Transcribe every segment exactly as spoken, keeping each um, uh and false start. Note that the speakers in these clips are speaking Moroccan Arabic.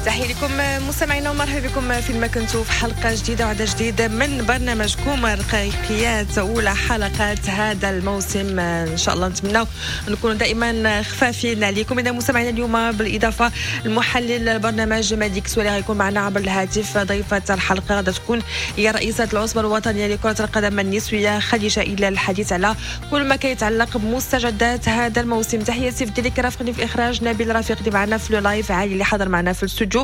تحية لكم مستمعينا ومرحبا بكم فيما كنتوا في حلقة جديدة وعدد جديد من برنامجكم رقيقيات، أولى حلقات هذا الموسم. إن شاء الله نتمنى نكون دائما خفافين عليكم. إذا مستمعينا اليوم بالإضافة المحلل البرنامج مهدي كسوالي غيكون معنا عبر الهاتف. ضيفة الحلقة غادي تكون هي رئيسة العصبة الوطنية لكرة القدم النسوية خديجة إلى الحديث على كل ما كيتعلق بمستجدات هذا الموسم. تحياتي في ديك رافقني في إخراج نبيل رفيق اللي معنا في live، عالي اللي حضر معنا في الاستوديو.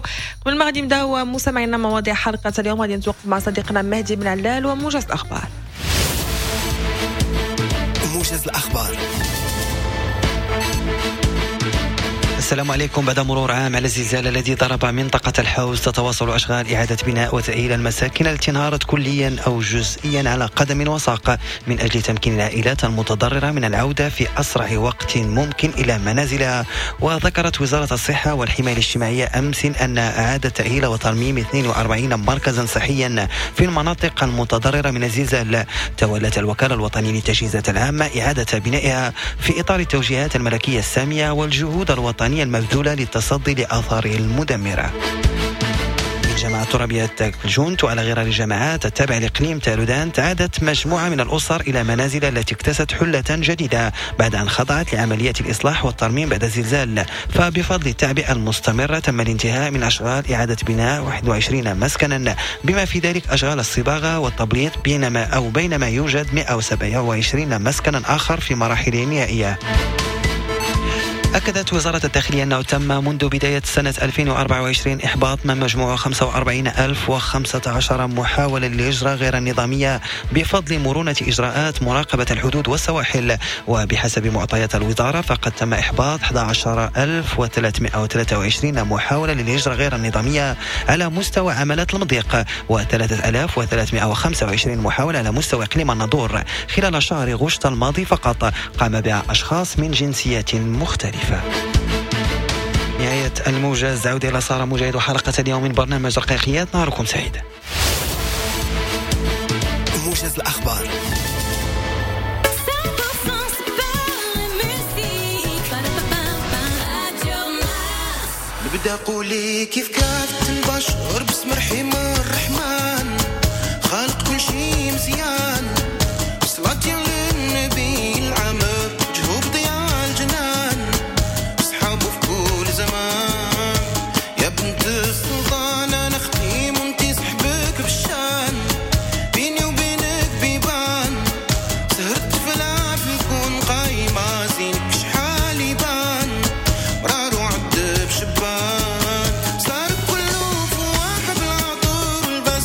قبل ما غادي نبداو مستمعينا مواضيع حلقة اليوم غادي نتوقف مع صديقنا مهدي بن علال وموجز الأخبار. موجز الأخبار. السلام عليكم. بعد مرور عام على الزلزال الذي ضرب منطقة الحوز، تتواصل أشغال إعادة بناء وتأهيل المساكن التي انهارت كليا أو جزئيا على قدم وساق من أجل تمكين العائلات المتضررة من العودة في أسرع وقت ممكن إلى منازلها. وذكرت وزارة الصحة والحماية الاجتماعية أمس أن إعادة تأهيل وترميم اثنين وأربعين مركزا صحيا في المناطق المتضررة من الزلزال. تولت الوكالة الوطنية للتجهيزات العامة إعادة بنائها في إطار التوجيهات الملكية السامية والجهود الوطنية المبذولة للتصدي لآثاره المدمرة. الجماعة الترابية الجونت وعلى غرار الجماعات التابعة لإقليم تارودانت عادت مجموعة من الأسر إلى منازل التي اكتست حلة جديدة بعد أن خضعت لعملية الإصلاح والترميم بعد الزلزال. فبفضل التعبئة المستمرة تم الانتهاء من أشغال إعادة بناء واحد وعشرين مسكنا بما في ذلك أشغال الصباغة والتبليط، بينما أو بينما يوجد مئة وسبعة وعشرين مسكنا آخر في مراحل نهائية. أكدت وزارة الداخلية أنه تم منذ بداية سنة ألفين وأربعة وعشرين إحباط ما مجموعه خمسة وأربعين ألف وخمسة عشر محاولة للهجرة غير النظامية بفضل مرونة إجراءات مراقبة الحدود والسواحل. وبحسب معطيات الوزارة فقد تم إحباط أحد عشر ألف وثلاثمئة وثلاثة وعشرين محاولة للهجرة غير النظامية على مستوى عملات المضيق، وثلاثة آلاف وثلاثمئة وخمسة وعشرين محاولة على مستوى إقليم الناظور خلال شهر غشت الماضي فقط، قام بها أشخاص من جنسيات مختلفة. نهاية الموجز، عودة إلى سارة مجاهد وحلقة اليوم من برنامج رقيقيات. نهاركم سعيد. موجز الأخبار. نبدأ قولي كيف كافة البشر باسم رحيم الرحمن خالق كل شي مزيان صلاة للنبي العامر جهوب ضياء الجنان أصحابه في كل زمان يا بنت السلطان أنا أختي وانتي صحبك بالشان بيني وبينك بيبان سهرت في العافية نكون قايمة زينك شحال يبان مرار وعد بشبان صار كله فواح بالعطر والبس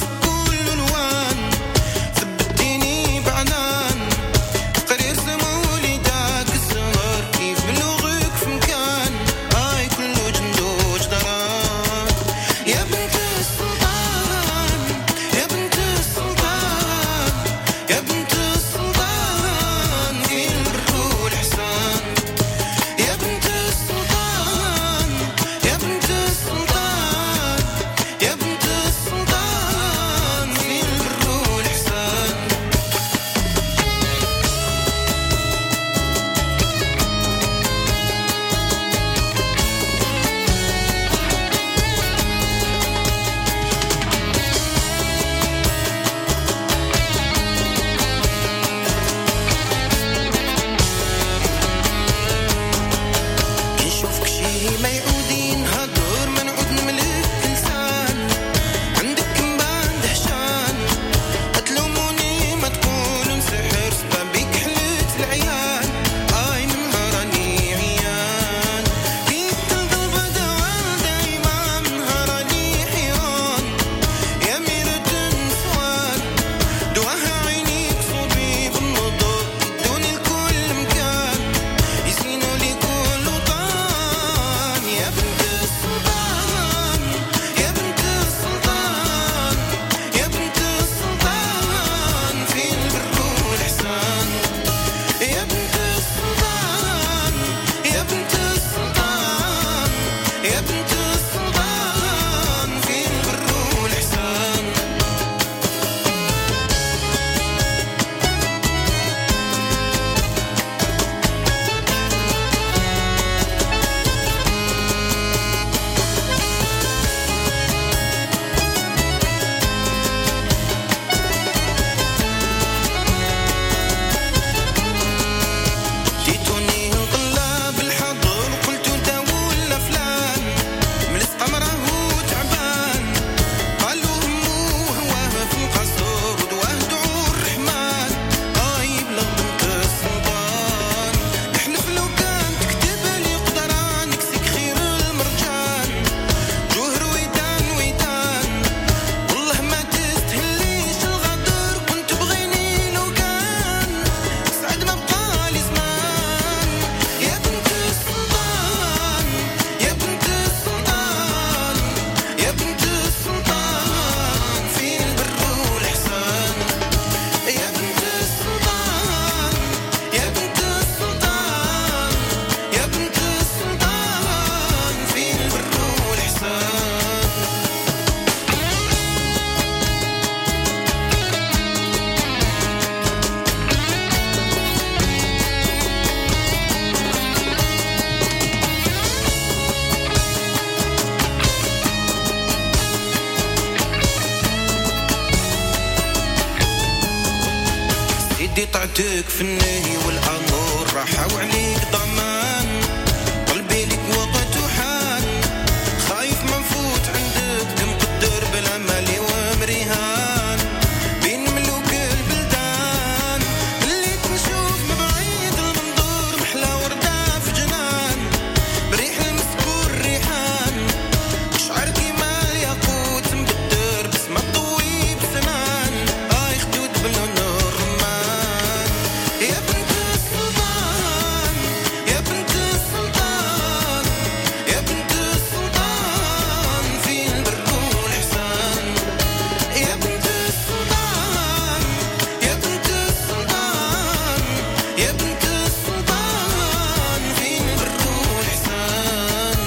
عندك في النهي والأمور راحة وعليك ضمان قلبي لك وقت وحان خايف ما نفوت عندك مقدر بلا مالي ومريهان بين ملوك البلدان اللي تنشوف من بعيد المنظور محلى وردة في جنان بريح المسكور ريحان شعر كيما الياقوت مبدر بس ما طوي بسنان اي خدود باللون الرمان يا بنت السلطان يا بنت السلطان يا بنت السلطان في البر والإحسان يا بنت السلطان يا بنت السلطان يا بنت السلطان في البر والإحسان.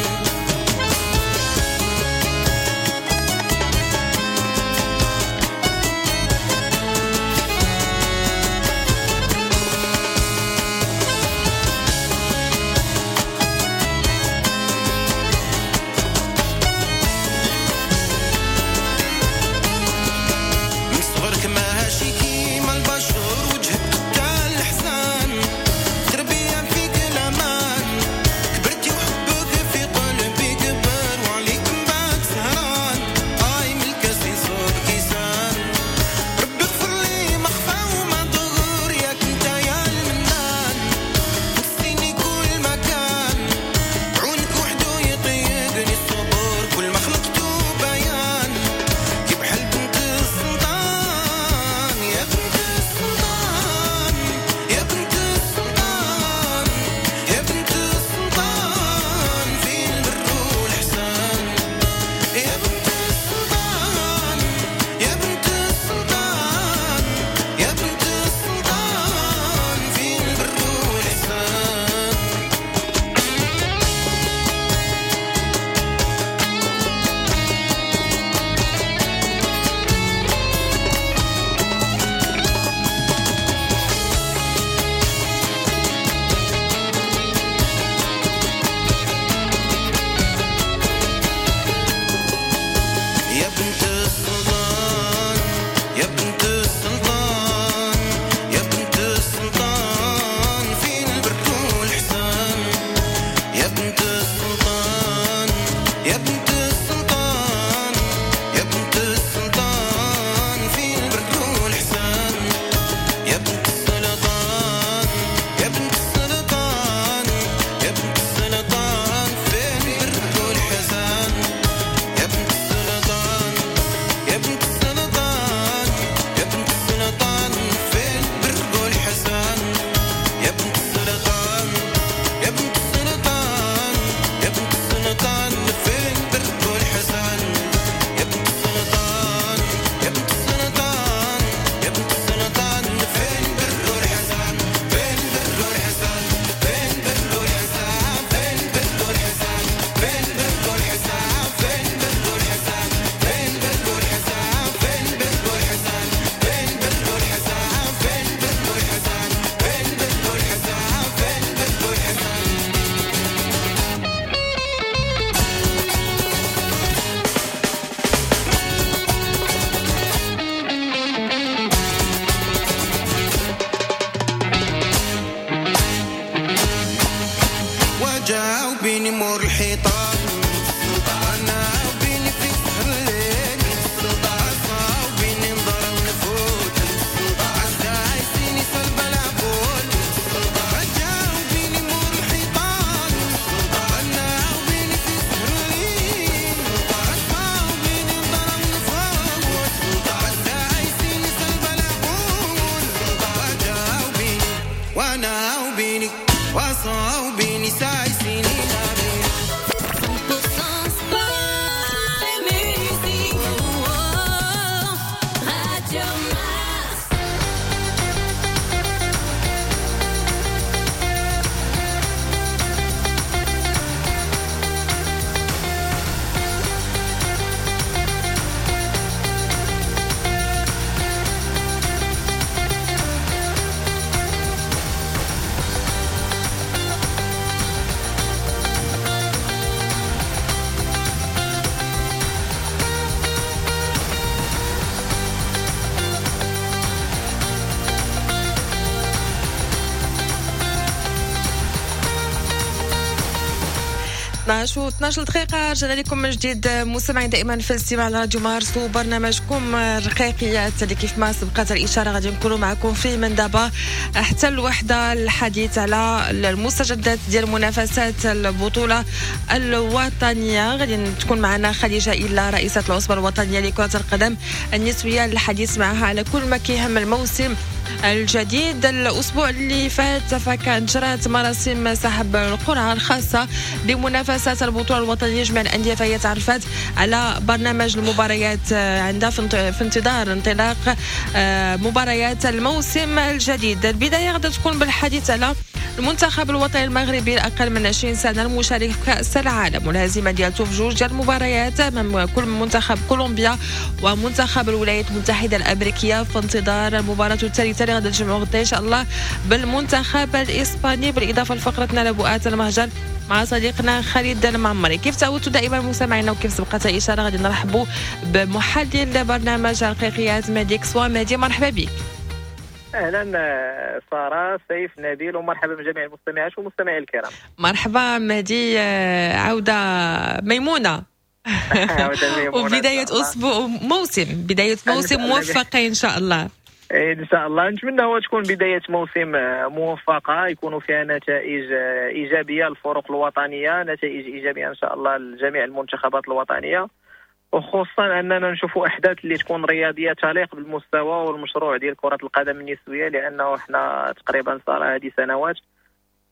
من صغرك ماشي كيما البشر وجهك قتال الحسان تربية فيك الأمان كبرتي وحبك في قلبي كبر وعليك من بعد سهران آي من الكاس يصب كيسان ربي اغفر لي ما خفى وما ظهر ياك انت يا المنان نسيني كل مكان عونك وحدو يطيقني الصبر كل ما خلقتو بيان كي بحال بنت السلطان يا بنت السلطان يا بنت السلطان يا بنت السلطان في البر والإحسان يا بنت السلطان يا بنت السلطان يا بنت السلطان في البر والإحسان. يا بنت السلطان يا بنت السلطان يا بنت السلطان في البر والإحسان يا بنت السلطان يا بنت السلطان يا بنت السلطان في البر والإحسان يا بنت السلطان يا بنت السلطان يا بنت السلطان في البر والإحسان يا بنت السلطان يا بنت السلطان يا بنت السلطان في البر والحسان يا بنت السلطان يا بنت السلطان يا بنت السلطان في البر والحسان يا بنت السلطان يا بنت السلطان يا بنت السلطان في البر والحسان في البر والحسان في البر والحسان في البر والحسان في البر والحسان في البر والحسان في البر والحسان في البر والحسان في البر والحسان في البر والحسان في البر والحسان في البر والحسان. وجاوبيني مور الحيطان انا وبيني في سهر الليل عصاوبيني نضر ونفوت عسايسيني سلب العقول وجاوبيني مور الحيطان انا وبيني في سهر الليل عصاوبيني نضر ونفوت عسايسيني سلب العقول وجاوبيني وانا وبيني وصاوبيني سايسيني نابيني cent pour cent sport et musique. Oh, oh, Radio Mars. يا اثنا عشر و اثنا عشر دقيقة، رجعنا لكم من جديد مستمعين دائما في الاستماع لراديو مارس وبرنامجكم الرقيقيات، اللي كيف ما سبقت الإشارة غادي نكونوا معكم فيه من دابا حتى الوحدة، الحديث على المستجدات ديال منافسات البطولة الوطنية. غادي تكون معنا خديجة إلا، رئيسة العصبة الوطنية لكرة القدم النسوية، للحديث معها على كل ما كيهم الموسم الجديد. الأسبوع اللي فات فكانت جرات مراسم سحب القرعة الخاصة بمنافسات البطولة الوطنية. جميع الأندية فهي تعرفت على برنامج المباريات عندها في انتظار انطلاق آه، مباريات الموسم الجديد. البداية غادي تكون بالحديث على المنتخب الوطني المغربي الأقل من عشرين سنة المشارك في كأس العالم، والهزيمة ديالته في جوج ديال المباريات أمام كل منتخب كولومبيا ومنتخب الولايات المتحدة الأمريكية، في انتظار المباراة الثالثة اللي غادي تجمعوا غدا إن شاء الله بالمنتخب الإسباني. بالإضافة لفقرتنا لبؤات المهجر مع صديقنا خالد المعمري. كيف تعودتوا دائما مستمعينا وكيف سبقت إشارة، غادي نرحبوا بمحلل برنامج الرقيقيات مهدي كسوا. مهدي، مرحبا بك. اهلا ساره، سيف، نبيل، ومرحبا بجميع المستمعات والمستمعين الكرام. مرحبا مهدي، عوده ميمونه. عودة ميمونة. وبداية أسبوع موسم، بداية موسم موفقة إن شاء الله. ان شاء الله، نتمنى هو تكون بداية موسم موفقه، يكونوا فيها نتائج ايجابية للفرق الوطنيه، نتائج ايجابية ان شاء الله لجميع المنتخبات الوطنيه، وخصوصا اننا نشوفوا احداث اللي تكون رياضية تليق بالمستوى والمشروع ديال كره القدم النسويه، لانه احنا تقريبا صار هذه سنوات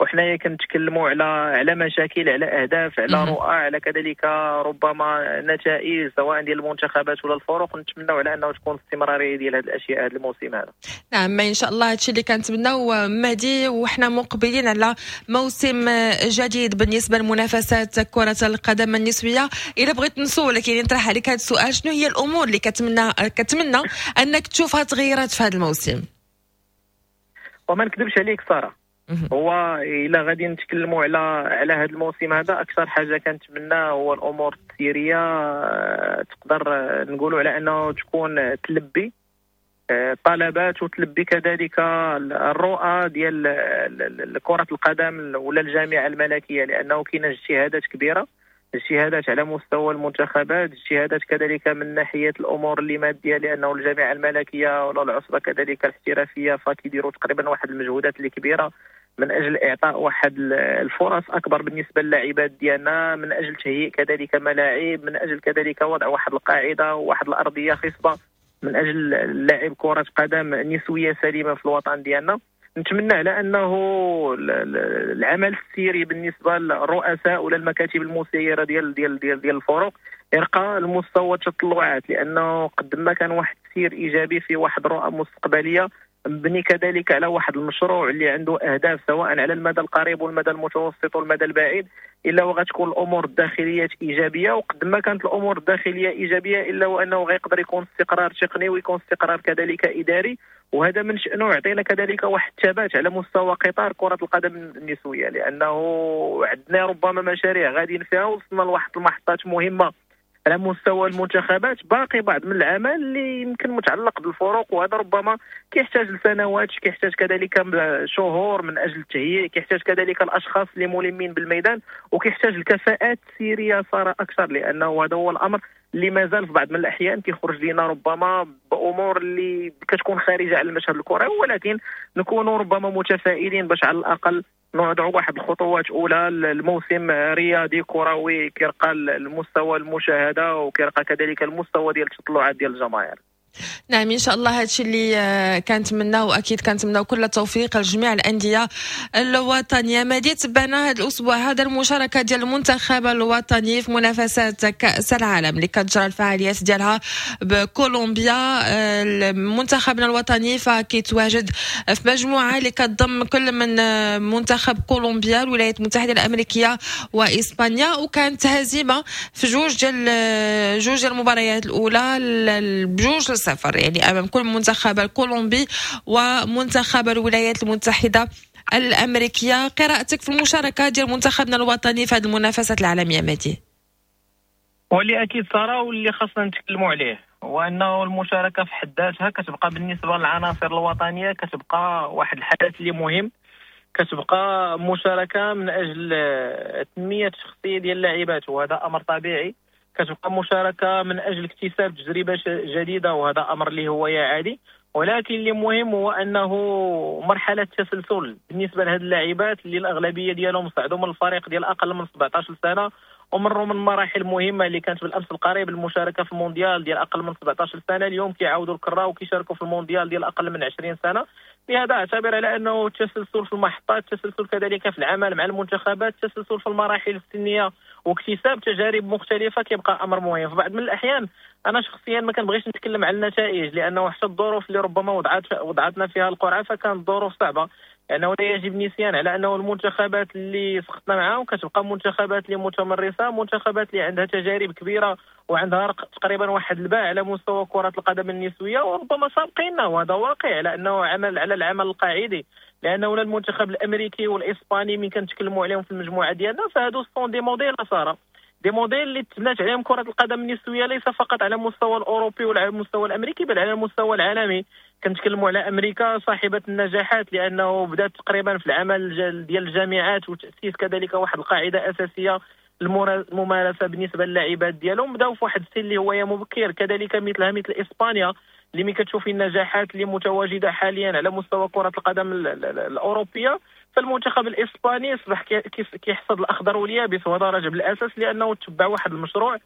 وحنايا كنتكلموا على على مشاكل، على اهداف، على رؤى، على كذلك ربما نتائج سواء ديال المنتخبات ولا الفرق. نتمنوا على انه تكون استمرارية ديال هذه الاشياء هذا الموسم هذا. نعم، ان شاء الله هادشي اللي كنتمناو مهدي، وحنا مقبلين على موسم جديد بالنسبة لمنافسات كره القدم النسويه. الا بغيت نسولك، يعني نطرح عليك هذا السؤال، شنو هي الامور اللي كتمنى كتمنى انك تشوفها تغيرات في هذا الموسم؟ وما نكذبش عليك ساره، هو الا غادي نتكلموا على على هذا الموسم هذا، اكثر حاجة كنتمنى هو الامور التسييريه آه، تقدر نقولوا على انه تكون تلبي الطلبات آه، وتلبي كذلك الرؤى ديال كره القدم ولا الجامعة الملكيه، لانه كاينه اجتهادات كبيره، اجتهادات على مستوى المنتخبات، اجتهادات كذلك من ناحية الامور اللي ماديه، لانه الجامعة الملكية ولا العصبة كذلك الاحترافية فكيديروا تقريبا واحد المجهودات اللي كبيرة من اجل اعطاء واحد الفرص اكبر بالنسبة للاعبات ديالنا، من اجل تهيئ كذلك ملاعب، من اجل كذلك وضع واحد القاعدة وواحد الارضية خصبة من اجل لعب كره قدم نسويه سليمة في الوطن ديالنا. نتمنى على انه العمل السيري بالنسبة للرؤساء ولا المكاتب المسيرة ديال ديال ديال ديال الفرق يرقى المستوى التطلعات، لانه قد ما كان واحد التسيير ايجابي في واحد الرؤى مستقبلية مبني كذلك على واحد المشروع اللي عنده اهداف سواء على المدى القريب والمدى المتوسط والمدى البعيد، الا وغتكون الامور الداخلية ايجابيه. وقد ما كانت الامور الداخلية ايجابيه، الا وانه غيقدر يكون استقرار تقني ويكون استقرار كذلك اداري، وهذا من شأنه يعطينا كذلك واحد الثبات على مستوى قطار كرة القدم النسوية، لأنه عندنا ربما مشاريع غاديين فيها، وصلنا لواحد المحطات مهمة على مستوى المنتخبات، باقي بعض من العمل اللي يمكن متعلق بالفرق، وهذا ربما كيحتاج لسنوات، كيحتاج كذلك شهور من اجل التهيئ، كيحتاج كذلك الاشخاص اللي ملمين بالميدان، وكيحتاج الكفاءات التسييريه صار اكثر، لانه هذا هو الامر اللي مازال في بعض من الاحيان كيخرج لنا ربما بامور اللي كتكون خارجه على المشهد الكروي. ولكن نكونوا ربما متفائلين باش على الاقل نوضعوا واحد الخطوات اولى الموسم رياضي كروي كيرقى المستوى المشاهدة وكيرقى كذلك المستوى ديال التطلعات ديال الجماهير. نعم، ان شاء الله هادشي اللي آه، كنتمناو، واكيد كنتمناو كل التوفيق لجميع الاندية الوطنيه. مهدي، تبعنا هذا الاسبوع هذا المشاركة ديال المنتخب الوطني في منافسات كاس العالم اللي كتجرى الفعاليات ديالها بكولومبيا. آه، منتخبنا الوطني فكيتواجد في مجموعة اللي كتضم كل من آه، منتخب كولومبيا، الولايات المتحدة الامريكية واسبانيا، وكانت هزيمة في جوج ديال جوج ديال المباريات الاولى بجوج لصفر، يعني امام كل منتخب الكولومبي ومنتخب الولايات المتحدة الامريكيه. قراءتك في المشاركة ديال منتخبنا الوطني في هذه المنافسات العالمية مهدي؟ واللي اكيد ساره واللي خاصنا نتكلموا عليه هو انه المشاركة في حد ذاتها كتبقى بالنسبة للعناصر الوطنية كتبقى واحد الحدث اللي مهم، كتبقى مشاركة من اجل تنمية الشخصية ديال اللاعبات، وهذا امر طبيعي. كتبقى مشاركة من اجل اكتساب تجربه جديدة، وهذا امر اللي هو يا عادي. ولكن اللي مهم هو انه مرحلة التسلسل بالنسبة لهاد اللاعبات اللي الاغلبية ديالهم صعدوا من الفريق ديال اقل من سبعطاش سنة ومروا من مراحل مهمة اللي كانت بالامس القريب المشاركة في المونديال ديال اقل من سبعطاش سنة، اليوم كيعاودوا الكره وكيشاركوا في المونديال ديال اقل من عشرين سنة. لهذا اعتبر على انه التسلسل في المحطات، التسلسل كذلك في العمل مع المنتخبات، التسلسل في المراحل السنية واكتساب تجارب مختلفة كيبقى امر مهم. في بعض من الاحيان انا شخصيا ما كنبغيش نتكلم على النتائج، لانه حتى الظروف اللي ربما وضعت وضعتنا فيها القرعة فكانت ظروف صعبة، لانه لا يجب النسيان على انه المنتخبات اللي سقطنا معاهم كتبقى منتخبات اللي متمرسه، منتخبات اللي عندها تجارب كبيرة وعندها تقريبا واحد الباع على مستوى كره القدم النسوية، وربما سابقيننا، وهذا واقع على انه عمل على العمل القاعدي. لانه لا المنتخب الامريكي والاسباني من كنتكلموا عليهم في المجموعة ديالنا فهادو sont des modèles ساره، des modèles اللي تبنات عليهم كره القدم النسوية ليس فقط على المستوى الاوروبي ولا على المستوى الامريكي بل على المستوى العالمي. كنتكلموا على امريكا صاحبه النجاحات، لانه بدات تقريبا في العمل ديال الجامعات وتاسيس كذلك واحد القاعدة اساسية الممارسة بالنسبة للاعبات ديالهم، بداو في واحد السن اللي هو مبكر. كذلك مثلها مثل اسبانيا اللي ملي كتشوفي النجاحات اللي متواجدة حاليا على مستوى كره القدم الاوروبية، فالمنتخب الاسباني اصبح كيحصد الاخضر واليابس، وهذا راجع بالاساس لانه تبع واحد المشروع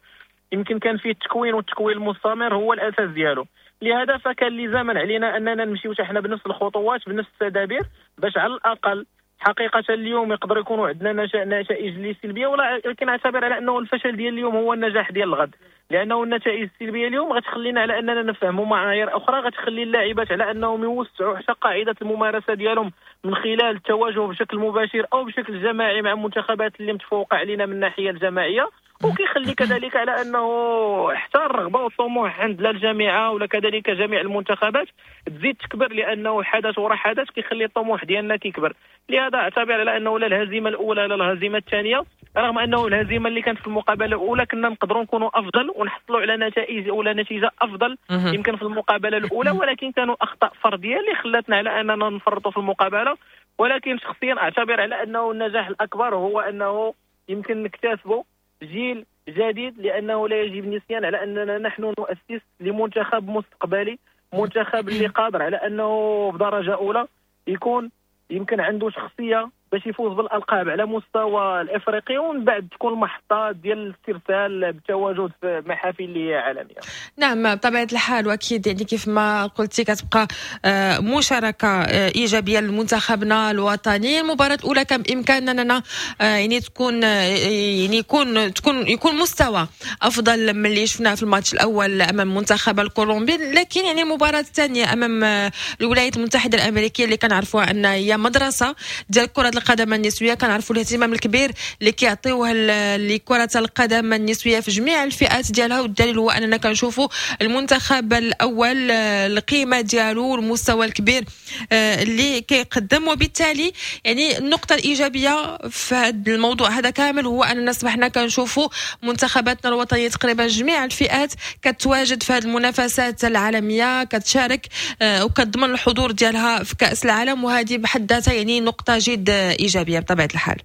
يمكن كان فيه التكوين والتكوين المستمر هو الاساس ديالو. لهذا فكان لزاما علينا اننا نمشيو حنا بنفس الخطوات بنفس التدابير باش على الاقل حقيقة اليوم يقدر يكونوا عندنا نتائج اللي سلبية، ولكن اعتبر على انه الفشل ديال اليوم هو النجاح ديال الغد، لانه النتائج السلبية اليوم غتخلينا على اننا نفهموا معايير اخرى، غتخلي اللاعبات على انهم يوسعوا حتى قاعدة الممارسة ديالهم من خلال التواجه بشكل مباشر او بشكل جماعي مع منتخبات اللي متفوقه علينا من الناحية الجماعية، وكيخلي كذلك على انه حتى الرغبة والطموح عند لا الجامعة ولا كذلك جميع المنتخبات تزيد تكبر، لانه حدث ورا حدث كيخلي الطموح ديالنا كيكبر. لهذا اعتبر على انه لا الهزيمة الاولى لا الهزيمة الثانية، رغم انه الهزيمة اللي كانت في المقابلة الاولى كنا نقدروا نكونوا افضل ونحصلوا على نتائج ولا نتيجة افضل يمكن في المقابلة الاولى، ولكن كانوا اخطاء فردية اللي خلتنا على اننا نفرطوا في المقابلة. ولكن شخصيا اعتبر على انه النجاح الاكبر هو انه يمكن نكتسبه جيل جديد، لانه لا يجب النسيان على اننا نحن نؤسس لمنتخب مستقبلي، منتخب اللي قادر على انه بدرجة اولى يكون يمكن عنده شخصية باش يفوز بالالقاب على مستوى الافريقي، ومن بعد تكون المحطات ديال الاسترسال بالتواجد في محافل اللي هي عالمية. نعم بطبيعة الحال، واكيد يعني كيف ما قلتي كتبقى مشاركة ايجابية لمنتخبنا الوطني. المباراة الاولى كان بامكاننا اننا يعني تكون يعني يكون تكون يكون مستوى افضل من اللي شفناه في الماتش الاول امام المنتخب الكولومبي، لكن يعني المباراة الثانية امام الولايات المتحدة الامريكية اللي كنعرفوها ان هي مدرسه ديال كره القدم النسوية، كنعرفوا الاهتمام الكبير اللي كيعطيوه لكرة القدم النسوية في جميع الفئات ديالها، والدليل هو اننا كنشوفوا المنتخب الاول القيمة ديالو والمستوى الكبير اللي كيقدم. وبالتالي يعني النقطة الايجابية في هذا الموضوع هذا كامل هو اننا اصبحنا كنشوفوا منتخباتنا الوطنية تقريبا جميع الفئات كتواجد في هذه المنافسات العالمية، كتشارك وكتضمن الحضور ديالها في كاس العالم، وهذه بحد ذاتها يعني نقطة جد ايجابية بطبيعة الحال.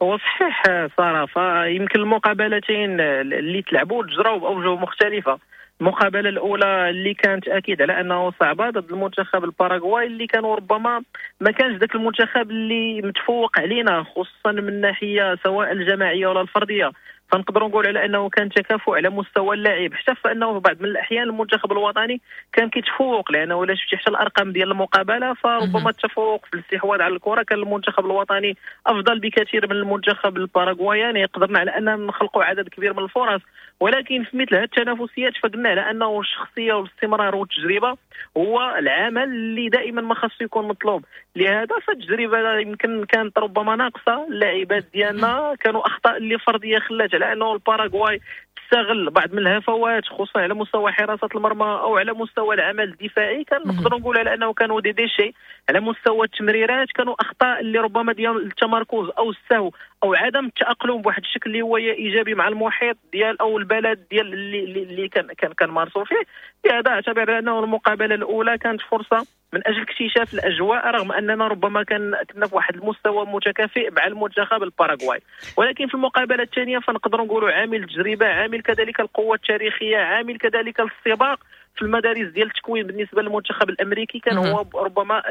هو صحيح ساره، فيمكن المقابلتين اللي تلعبوا تجراو باوجه مختلفة. المقابلة الاولى اللي كانت اكيد على انه صعبة ضد المنتخب الباراغواي، اللي كانوا ربما ما كانش ذاك المنتخب اللي متفوق علينا خصوصا من الناحية سواء الجماعية ولا الفردية، فنقدروا نقول على انه كان تكافؤ على مستوى اللاعب، حتى فانه في بعض من الاحيان المنتخب الوطني كان كيتفوق، لانه الا شفتي حتى الارقام ديال المقابلة فربما التفوق في الاستحواذ على الكره كان المنتخب الوطني افضل بكثير من المنتخب الباراغواياني، قدرنا على ان نخلقوا عدد كبير من الفرص. ولكن في مثل هذه التنافسيات فقلنا على انه الشخصية والاستمرار والتجربة هو العمل اللي دائما ما خاصو يكون مطلوب. لهذا فالتجربه يمكن كانت ربما ناقصه، اللاعبات ديالنا كانوا اخطاء اللي فردية خلات على انه الباراغواي تستغل بعض من الهفوات خصوصا على مستوى حراسة المرمى او على مستوى العمل الدفاعي. كان نقدروا نقول على انه كانوا des déchets على مستوى التمريرات، كانوا اخطاء اللي ربما ديال التمركز او السهو او عدم التاقلم بواحد الشكل اللي هو ايجابي مع المحيط ديال او البلد ديال اللي اللي كان كان كنمارسوا فيه. لهذا اعتبر انه المقابلة الاولى كانت فرصة من اجل اكتشاف الاجواء، رغم اننا ربما كان كنا في واحد المستوى متكافئ مع المنتخب الباراغواي، ولكن في المقابلة الثانية فنقدروا نقولوا عامل التجربة، عامل كذلك القوة التاريخية، عامل كذلك السباق في المدارس ديال التكوين بالنسبة للمنتخب الامريكي كان هو ربما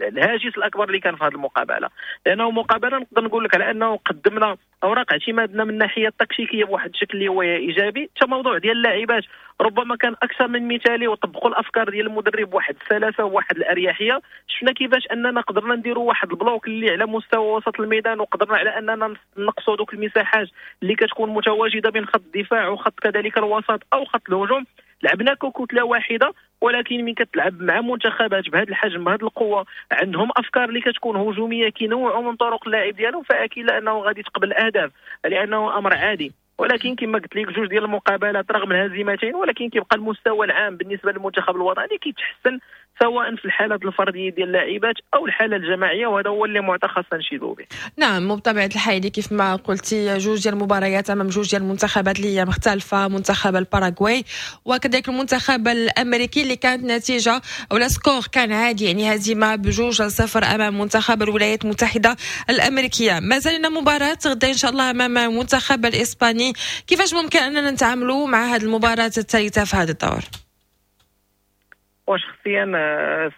الهاجس الاكبر اللي كان في هذه المقابلة. لانه مقابله نقدر نقول لك على انه قدمنا اوراق اعتمادنا من الناحية التكتيكيه بواحد الشكل اللي هو ايجابي. حتى موضوع ديال اللاعبات ربما كان اكثر من مثالي، وطبقوا الافكار ديال المدرب بواحد السلاسة وواحد الاريحيه. شفنا كيفاش اننا قدرنا نديروا واحد ال bloc اللي على مستوى وسط الميدان، وقدرنا على اننا نقصوا دوك المساحات اللي كتكون متواجدة بين خط الدفاع وخط كذلك الوسط او خط الهجوم. لعبنا ككتله واحدة، ولكن من كتلعب مع منتخبات بهذا الحجم بهذه القوة عندهم افكار اللي كتكون هجومية كينوعوا من طرق اللعب ديالهم، فاكيد انه غادي تقبل اهداف لانه امر عادي. ولكن كما قلت لك جوج ديال المقابلات رغم الهزيمتين، ولكن كيبقى المستوى العام بالنسبة للمنتخب الوطني كيتحسن سواء في الحالات الفردية ديال اللاعبات او الحالة الجماعية، وهذا هو اللي معطى خاصنا نشيدوا به. نعم، وبطبيعة الحال كيف ما قلتي جوج ديال المباريات امام جوج ديال المنتخبات اللي هي مختلفة، منتخب الباراغواي وكذلك المنتخب الامريكي اللي كانت نتيجة ولا score كان عادي، يعني هزيمة بجوج لصفر امام منتخب الولايات المتحدة الامريكية. مازال لنا مباراة غدا ان شاء الله امام المنتخب الاسباني، كيفاش ممكن اننا نتعاملوا مع هذه المباراة الثالثة في هذا الدور؟ وشخصيا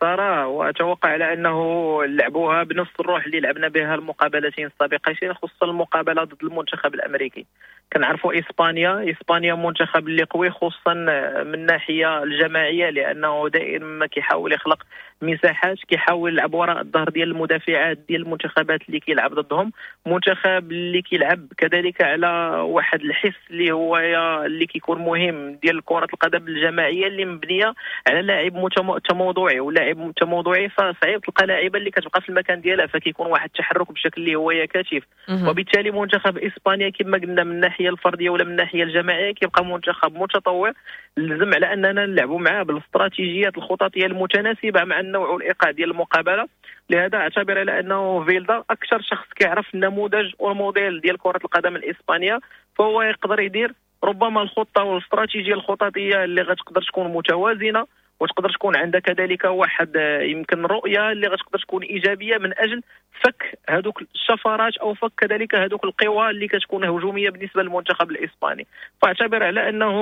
ساره واتوقع على انه لعبوها بنفس الروح اللي لعبنا بها المقابلتين السابقتين، خصوصا المقابلة ضد المنتخب الامريكي. كنعرفوا اسبانيا، اسبانيا منتخب اللي قوي خصوصا من الناحية الجماعية، لانه دائما ما كيحاول يخلق مساحات، كيحاول يلعب وراء الظهر ديال المدافعات ديال المنتخبات اللي كيلعب ضدهم. منتخب اللي كيلعب كذلك على واحد الحس اللي هو اللي كيكون مهم ديال كره القدم الجماعية اللي مبنية على لاعب تموضعي، ولاعب تموضعي فصعيب تلقى لاعبه اللي كتبقى في المكان ديالها، فكيكون واحد التحرك بشكل اللي هو كثيف. وبالتالي منتخب اسبانيا كما قلنا من الناحية الفردية ولا من الناحية الجماعية كيبقى منتخب متطور، لازم على اننا نلعبوا معاه بالاستراتيجيات الخططيه المتناسبه مع النوع والايقاع ديال المقابلة. لهذا اعتبر على انه فيلدا اكثر شخص كيعرف النموذج والموديل ديال كره القدم الاسبانية، فهو يقدر يدير ربما الخطة والاستراتيجيه الخططيه اللي غتقدر تكون متوازنة، وتقدر تكون عندها كذلك واحد يمكن رؤية اللي غتقدر تكون ايجابية من اجل فك هذوك الشفرات او فك كذلك هذوك القوى اللي كتكون هجومية بالنسبة للمنتخب الاسباني. فاعتبر على انه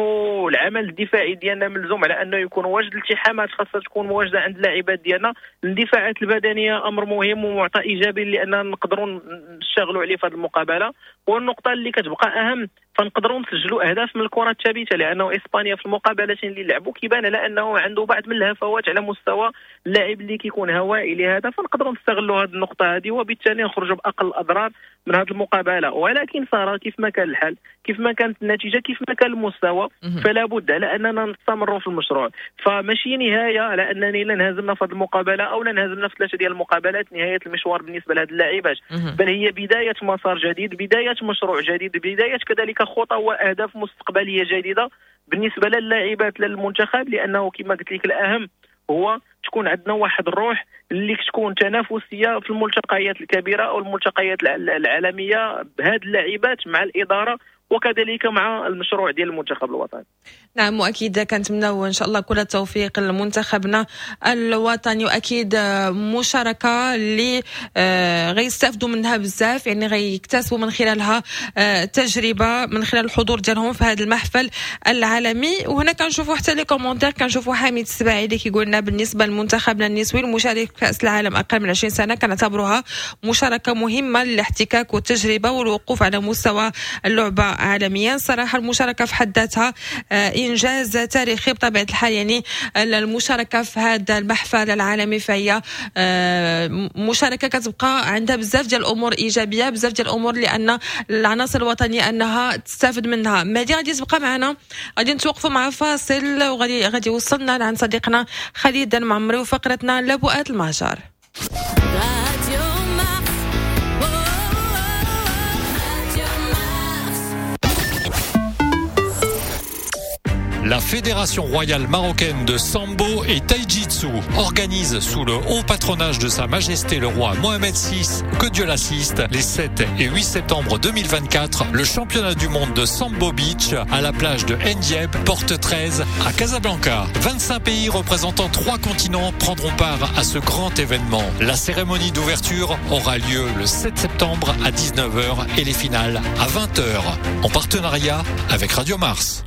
العمل الدفاعي ديالنا ملزوم على انه يكون واجد، الالتحامات خاصها تكون مواجده عند اللاعبات ديالنا، الاندفاعات البدنية امر مهم ومعطى ايجابي لان نقدروا نشتغلوا عليه في هذه المقابلة. والنقطة اللي كتبقى اهم فنقدروا نسجلوا اهداف من الكره الثابتة، لانه اسبانيا في المقابلتين اللي لعبوا كيبان على انه عنده بعض من الهفوات على مستوى اللاعب اللي كيكون هوائي، لهذا فنقدروا نستغلوا هذه النقطة هذه وبالتالي نخرجوا باقل الاضرار من هذه المقابلة. ولكن صار كيف ما كان الحال، كيف ما كانت النتيجة، كيف ما كان المستوى، فلا بد على اننا نستمروا في المشروع. فماشي نهاية على انني لا انهزمنا في هذه المقابلة او لا انهزمنا في ثلاثة ديال المقابلات نهاية المشوار بالنسبة لهذه اللاعبات، بل هي بداية مسار جديد، بداية مشروع جديد، بداية كذلك خطى واهداف مستقبلية جديدة بالنسبة للاعبات للمنتخب. لانه كما قلت لك الاهم هو تكون عندنا واحد الروح اللي تكون تنافسية في الملتقيات الكبيرة او الملتقيات العالمية بهذه اللاعبات مع الادارة وكذلك مع المشروع ديال المنتخب الوطني. نعم، واكيد كنتمناو ان شاء الله كل التوفيق لمنتخبنا الوطني، واكيد مشاركة اللي غيستافدوا منها بزاف، يعني غيكتسبوا من خلالها تجربه من خلال الحضور ديالهم في هذا المحفل العالمي. وهنا كنشوفوا حتى les commentaires، كنشوفوا حميد السباعي اللي كيقول لنا بالنسبة لمنتخبنا النسوي المشارك في كاس العالم اقل من عشرين سنة كنعتبروها مشاركة مهمة للاحتكاك والتجربة والوقوف على مستوى اللعبة عالميا. صراحة المشاركة في حد ذاتها انجاز تاريخي بطبيعة الحال، يعني المشاركة في هذا المحفل العالمي فهي مشاركة كتبقى عندها بزاف ديال الامور ايجابية، بزاف ديال الامور لان العناصر الوطنية انها تستافد منها. مهدي غادي تبقى معنا، غادي نتوقفوا مع فاصل وغادي غادي يوصلنا لعند صديقنا خالد المعمري وفقرتنا لبؤات المهجر. La Fédération royale marocaine de Sambo et Taijitsu organise sous le haut patronage de Sa Majesté le roi Mohamed six, que Dieu l'assiste, les sept et huit septembre deux mille vingt-quatre, le championnat du monde de Sambo Beach à la plage de Ndieb, porte treize à Casablanca. vingt-cinq pays représentant trois continents prendront part à ce grand événement. La cérémonie d'ouverture aura lieu le sept septembre à dix-neuf heures et les finales à vingt heures, en partenariat avec Radio Mars.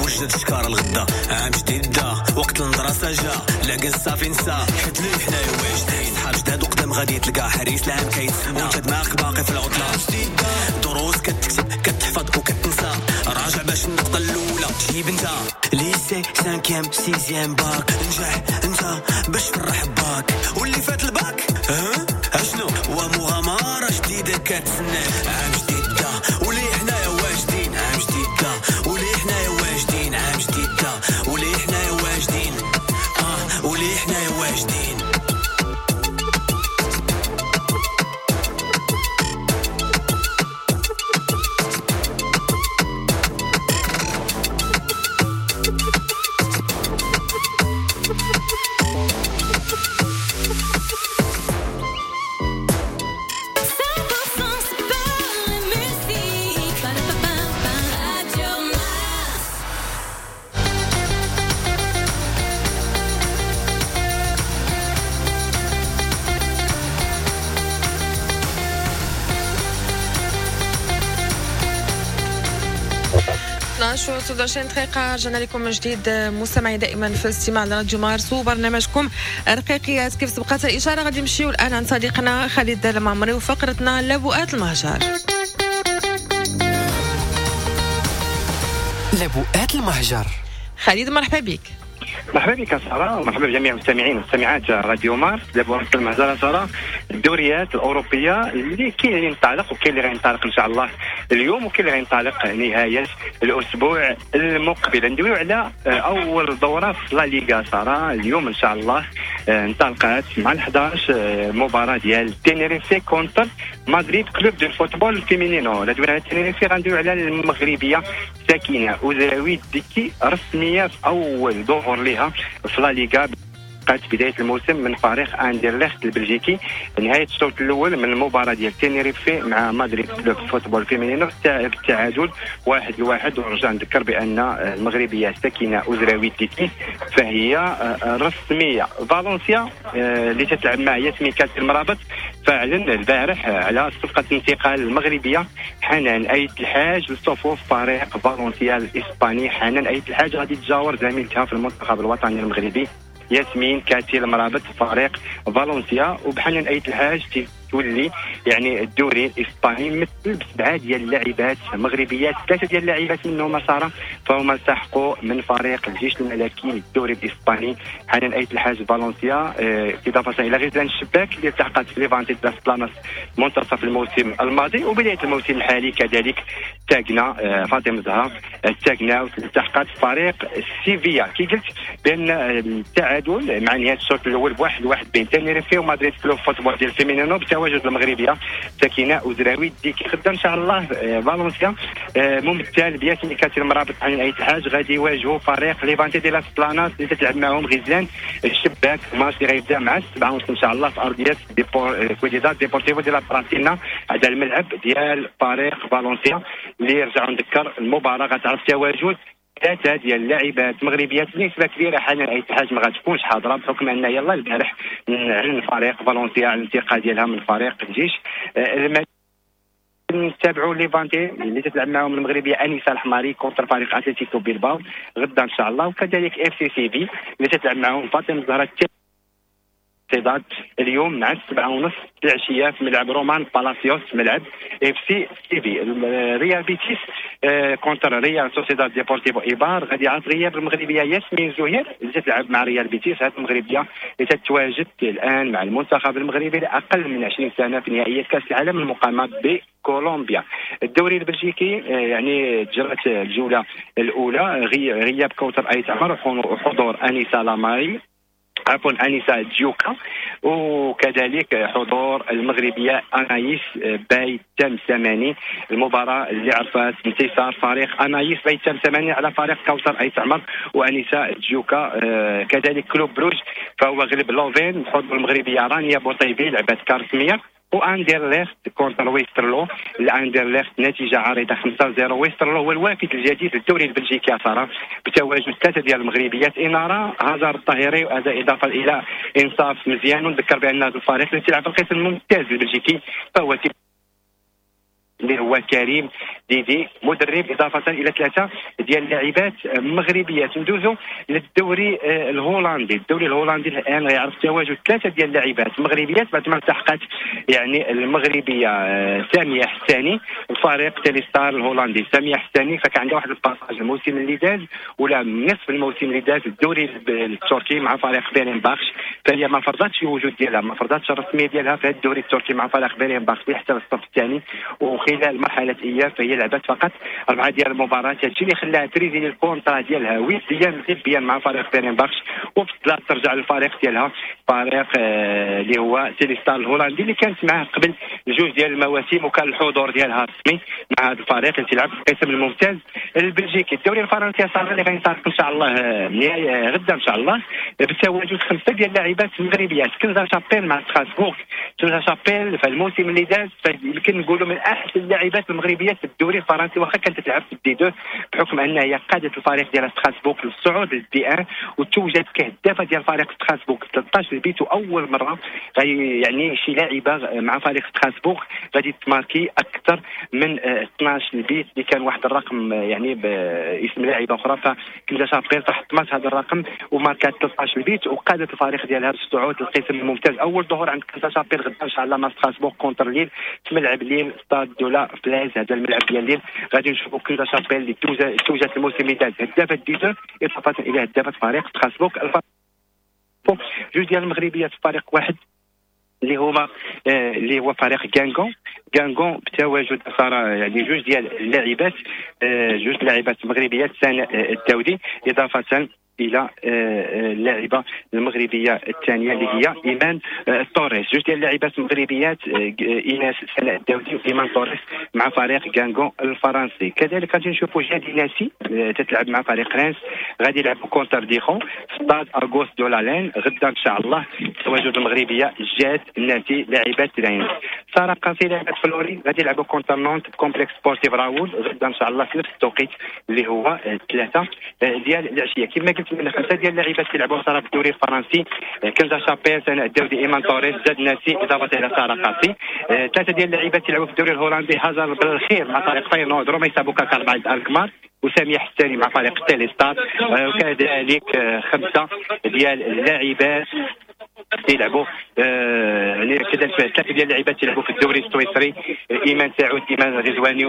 وجد شكار الغدا عام جديد بدا وقت المدرسة جا لكن صافي نسى حيت لي حنايا واجدين صحاب جداد وقدام غادي تلقى حريص العام كيتسنى وانت دماغك باقي في العطلة دروس كتكتب كتحفظ وكتنسى راجع باش النقطة الأولى تجيب انت lycée cinquième sixième bac نجح انت باش تفرح باك واللي فات الباك ها اشنو ومغامرة جديدة كتسنى عام جديد بدا واللي حنايا واجدين عام جديد بدا واللي حنايا واجدين عام جديد بدا واللي حنايا واجدين اه واللي حنايا واجدين. اثنا عشر وتسعة وعشرين دقيقة رجعنا لكم من جديد مستمعي دائما في الاستماع لراديو مارس وبرنامجكم رقيقيات. كيف سبقت الإشارة غادي نمشيو الآن عند صديقنا خالد المعمري وفقرتنا لبؤات المهجر. لبؤات المهجر. خالد مرحبا بك. مرحبا بك سارة ومرحبا بجميع المستمعين والمستمعات راديو مارس. لبؤات المهجر سارة الدوريات الأوروبية اللي كاين اللي ينطلق وكاين اللي غينطلق إن شاء الله اليوم وكاين اللي غينطلق نهاية الأسبوع المقبل. ندويو على أول دورة في لا ليغا سارة اليوم إن شاء الله انطلقت مع الحداش مباراة ديال تينيريفي contre مدريد Club de Fútbol Femenino. لا دوينا على تينيريفي غندويو على المغربية ساكنة أوزراوي ديكي رسمية في أول ظهور لها في لا ليغا بداية الموسم من فريق اندرلخت البلجيكي. نهاية الشوط الاول من المباراة ديال تينيريفي مع مدريد Club Fútbol Femenino بالتعادل واحد لواحد. ونرجع نذكر بان المغربية ساكنة أوزراوي ديكي فهي رسمية. فالنسيا اللي تتلعب مع ياسمين كاتي المرابط فعلا البارح على صفقة الانتقال المغربية حنان ايت الحاج لصفوف فريق فالنسيا الاسباني. حنان ايت الحاج غادي تجاور زميلتها في المنتخب الوطني المغربي ياسمين كاتي المرابط فريق فالنسيا. وبحنان ايت الحاج تولي يعني الدوري الاسباني مثل بسبعة ديال اللاعبات مغربيات، ثلاثة ديال اللاعبات منهم ساره فهما التحقوا من فريق الجيش الملكي للدوري الاسباني. حنان ايت الحاج فالنسيا اضافه الى غزلان الشباك اللي التحقت في ليفانتي لاس بلاناس منتصف الموسم الماضي وبداية الموسم الحالي كذلك تاكنا فاطمة زهره تاكنا التحقت في فريق سيفيا. كي قلت بان التعادل مع نهاية الشوط الاول بواحد واحد بين تينيريفي ومدريد Club Fútbol ديال Femenino التواجد المغربية ساكنة أوزراوي ديكي. غدا ان شاء الله فالنسيا ممثل بياسمين كاتي المرابط عن ايت الحاج غادي يواجهوا فريق ليفانتي دي لاس بلاناس اللي تتلعب معهم غزلان الشباك. ماتش اللي غيبدا مع السبعة ونص ان شاء الله في ارضية كويديداد ديبورتيفو دي لا براتينا، هذا الملعب ديال فريق فالنسيا اللي رجعوا نذكر المباراة غتعرف تواجد ثلاثة ديال اللاعبات مغربيات بنسبة كبيرة. حنان ايت الحاج ما غاتكونش حاضره بحكم ان يلا البارح اعلن فريق فالنسيا على الانتقال ديالها من فريق الجيش. نتابعوا ليفانتي اللي تتلعب معهم المغربية انيسة الحماري contre فريق اتلتيكو بيلباو غدا ان شاء الله، وكذلك اف سي سي في اللي تتلعب معهم فاطمة الزهراء سوسيداد اليوم مع السبعة ونص العشية في ملعب رومان بالاسيوس، ملعب اف سي سيفي. ريال بيتيس آه، contre ريال سوسيداد ديبورتيفو ايبار غادي يعرف غياب المغربية ياسمين زهير اللي تلعب مع ريال بيتيس. هذه المغربية اللي تتواجد الان مع المنتخب المغربي لاقل من عشرين سنة في نهائيات كاس العالم المقامة بكولومبيا. الدوري البلجيكي آه، يعني جرت الجولة الاولى، غياب كوثر ايت عمر وحضور انيسة لاماري، عفوا انيسة ديوكا، وكذلك حضور المغربية انايس باي تمسماني. المباراة اللي عرفت انتصار فريق انايس باي تمسماني على فريق كوثر ايت عمر وانيسه ديوكا. آه، كذلك كلوب بروج فهو غلب لوفين بحضور المغربية رانيا بوطيبي لعبت كارسميه. واندرليخت contre ويسترلو، الاندرليخت نتيجة عريضة خمسة صفر. ويسترلو هو الوافد الجديد للدوري البلجيكي يا ساره، بتواجد ثلاثة ديال المغربيات، انارة هزار الطاهري وهذا اضافه الى انصاف مزيان. ونذكر بان هذا الفريق اللي تلعب في القسم الممتاز البلجيكي فهو اللي هو كريم ديدي مدرب، اضافه الى ثلاثة ديال اللاعبات مغربيات. ندوزو للدوري آه، الهولندي. الدوري الهولندي الان غيعرف تواجد ثلاثة ديال اللاعبات مغربيات بعد ما التحقت يعني المغربية آه، سامية حساني الفريق تيليستار الهولندي. سامية حساني فكان عندها واحد ال passage الموسم اللي داز ولا نصف الموسم اللي داز الدوري التركي مع فريق فيرنباخش، فهي ما فرضتش الوجود ديالها، ما فرضتش الرسمية ديالها في الدوري التركي مع فريق فيرنباخش حتى الصف الثاني، وخلال مرحلة اياب فهي لعبت فقط اربعة ديال المباريات. هادشي اللي خلاها ت résilier ال contrat ديالها وديا طبيا مع فريق فيرنباخش، وفضلت ترجع للفريق ديالها فريق آه، اللي هو تيليستار الهولندي اللي كانت معاه قبل جوج ديال المواسم وكان الحضور ديالها رسمي مع هذا الفريق اللي تلعب في القسم الممتاز البلجيكي. الدوري الفرنسي صار اللي غينطلق ان شاء الله آه، نهاية غدا ان شاء الله بتواجد خمسة ديال اللاعبات المغربيات. كنزا شابيل مع ستراسبورغ. كنزا شابيل في الموسم اللي داز يمكن نقولوا من احسن اللاعبات المغربيات في الدوري الفرنسي، واخا كانت تلعب في ال D deux بحكم انها هي قادت الفريق ديال ستراسبورغ للصعود لل D un وتوجت كهدافه ديال فريق ستراسبورغ ثلاثة عشر but، واول مرة يعني شي لاعبه مع فريق ستراسبورغ غادي تماركي اكثر من اثنا عشر but اللي كان واحد الرقم يعني باسم لاعبه اخرى. فكنزا شابيل حطمت هذا الرقم وماركات ثلاثة عشر but وقادت الفريق ديالها للصعود للقسم الممتاز. اول ظهور عند كنزا شابيل غدا ان شاء الله مع ستراسبورغ contre ليل في ملعب ليل stade de la Falaise، هذا الملعب ديال ليل. غادي نشوفوا كنزا شابيل اللي توجت الموسم اللي داز هدافه D deux اضافه الى هدافه فريق ستراسبورغ. جوج ديال المغربيات في فريق واحد اللي هما آه، اللي هو فريق غانغون. غانغون بتواجد صار يعني جوج ديال اللاعبات، آه، جوج لاعبات مغربيات، سناء الداودي اضافه الى آه، اللاعبه المغربية الثانية اللي هي ايمان توريس. جوج ديال اللاعبات المغربيات، ايناس سناء الداودي وايمان توريس مع فريق غانغون الفرنسي. كذلك غادي نشوفوا جادي ناسي تتلعب مع فريق رانس، غادي يلعبوا contre ديخون stade Auguste Delalène غدا ان شاء الله. تواجد المغربية جاد ناسي لاعبات رانس. ساره قاسي لاعبات فلوري غادي يلعبوا contre نونت complexe sportif راول غدا ان شاء الله في نفس التوقيت اللي هو ثلاثة ديال العشية. كما قلت من خمسة ديال اللاعبات كيلعبوا ساره في الدوري الفرنسي، كنزا شابيل، سناء الداودي، ايمان توريس، جاد ناسي اضافه الى ساره قاسي. ثلاثة ديال اللاعبات كيلعبوا في الدوري الهولندي، هاجر بالخير مع فريق فاينورد، روميسا بوكاكار مع الكمار، وساميه حساني مع فريق تيليستار. وكذلك خمسة ديال اللاعبات تيلعبوا آه، يعني كذلك ثلاثة ديال اللاعبات تيلعبوا في الدوري السويسري، ايمان سعود، ايمان غزواني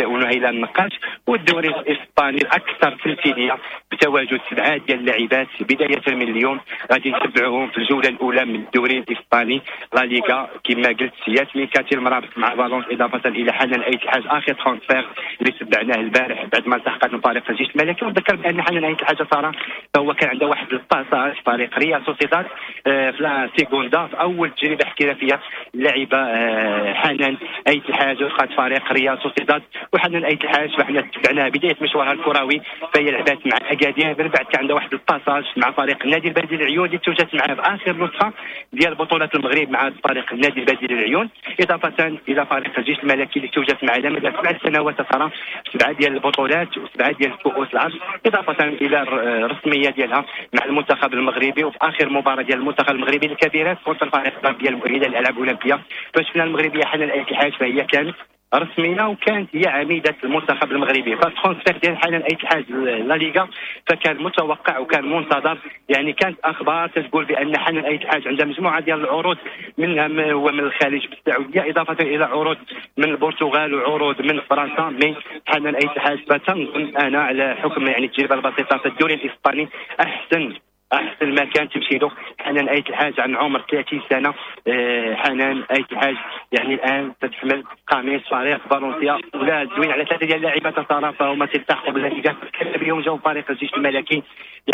ونهيله النقاش. والدوري الاسباني الاكثر تمثيلية بتواجد سبعة ديال اللاعبات بداية من اليوم غادي نتبعوهم في الجولة الاولى من الدوري الاسباني لا ليغا. كما قلت ياسمين كاتي المرابط مع فالونس اضافه الى حنان ايت الحاج، اخر transfert اللي تبعناه البارح بعد ما التحقت من فريق الجيش الملكي. ونذكر بان حنان ايت الحاج ساره فهو كان عنده واحد ال passage فريق ريال سوسيداد آه، في la Segunda في اول تجربه احترافية اللعبة آه، حنان ايت الحاج وخات فريق ريال سوسيداد. وحنان ايت الحاج فحنا تبعناها بداية مشوارها الكروي، فهي لعبات مع اكادير، من بعد كان عندها واحد ال passage مع فريق النادي البلدي للعيون اللي توجت معاه في اخر نسخه ديال بطوله المغرب مع فريق النادي البلدي للعيون، اضافه الى فريق الجيش الملكي اللي توجت معاه لمدة سبع سنوات ترى سبعة ديال البطولات وسبعة ديال كؤوس العرش، اضافه الى الرسمية ديالها مع المنتخب المغربي. وفي اخر مباراة ديال المنتخب المغربي الكبيرات contre الفريق ديال المؤهله للالعاب الاولمبية فشفنا المغربية حنان ايت الحاج فهي كانت رسمية، وكانت هي عميده المنتخب المغربي. فال transfert ديال حنان ايت الحاج لا ليغا فكان متوقع وكان منتظر. يعني كانت اخبار تقول بان حنان ايت الحاج عندها مجموعة ديال العروض، منها ما هو من الخليج بالسعودية، اضافه الى عروض من البرتغال وعروض من فرنسا. mais حنان ايت الحاج فتنظن انا على حكم يعني التجربة البسيطة في الدوري الاسباني احسن احسن مكان تمشي له حنان ايت الحاج عن عمر ثلاثين سنة. حنان ايت الحاج يعني الان تتحمل قميص فريق فالنسيا. ولا دوين على ثلاثة ديال اللاعبات ساره فهما تلتحقوا بالنتيجة اليوم جاوا فريق الجيش الملكي.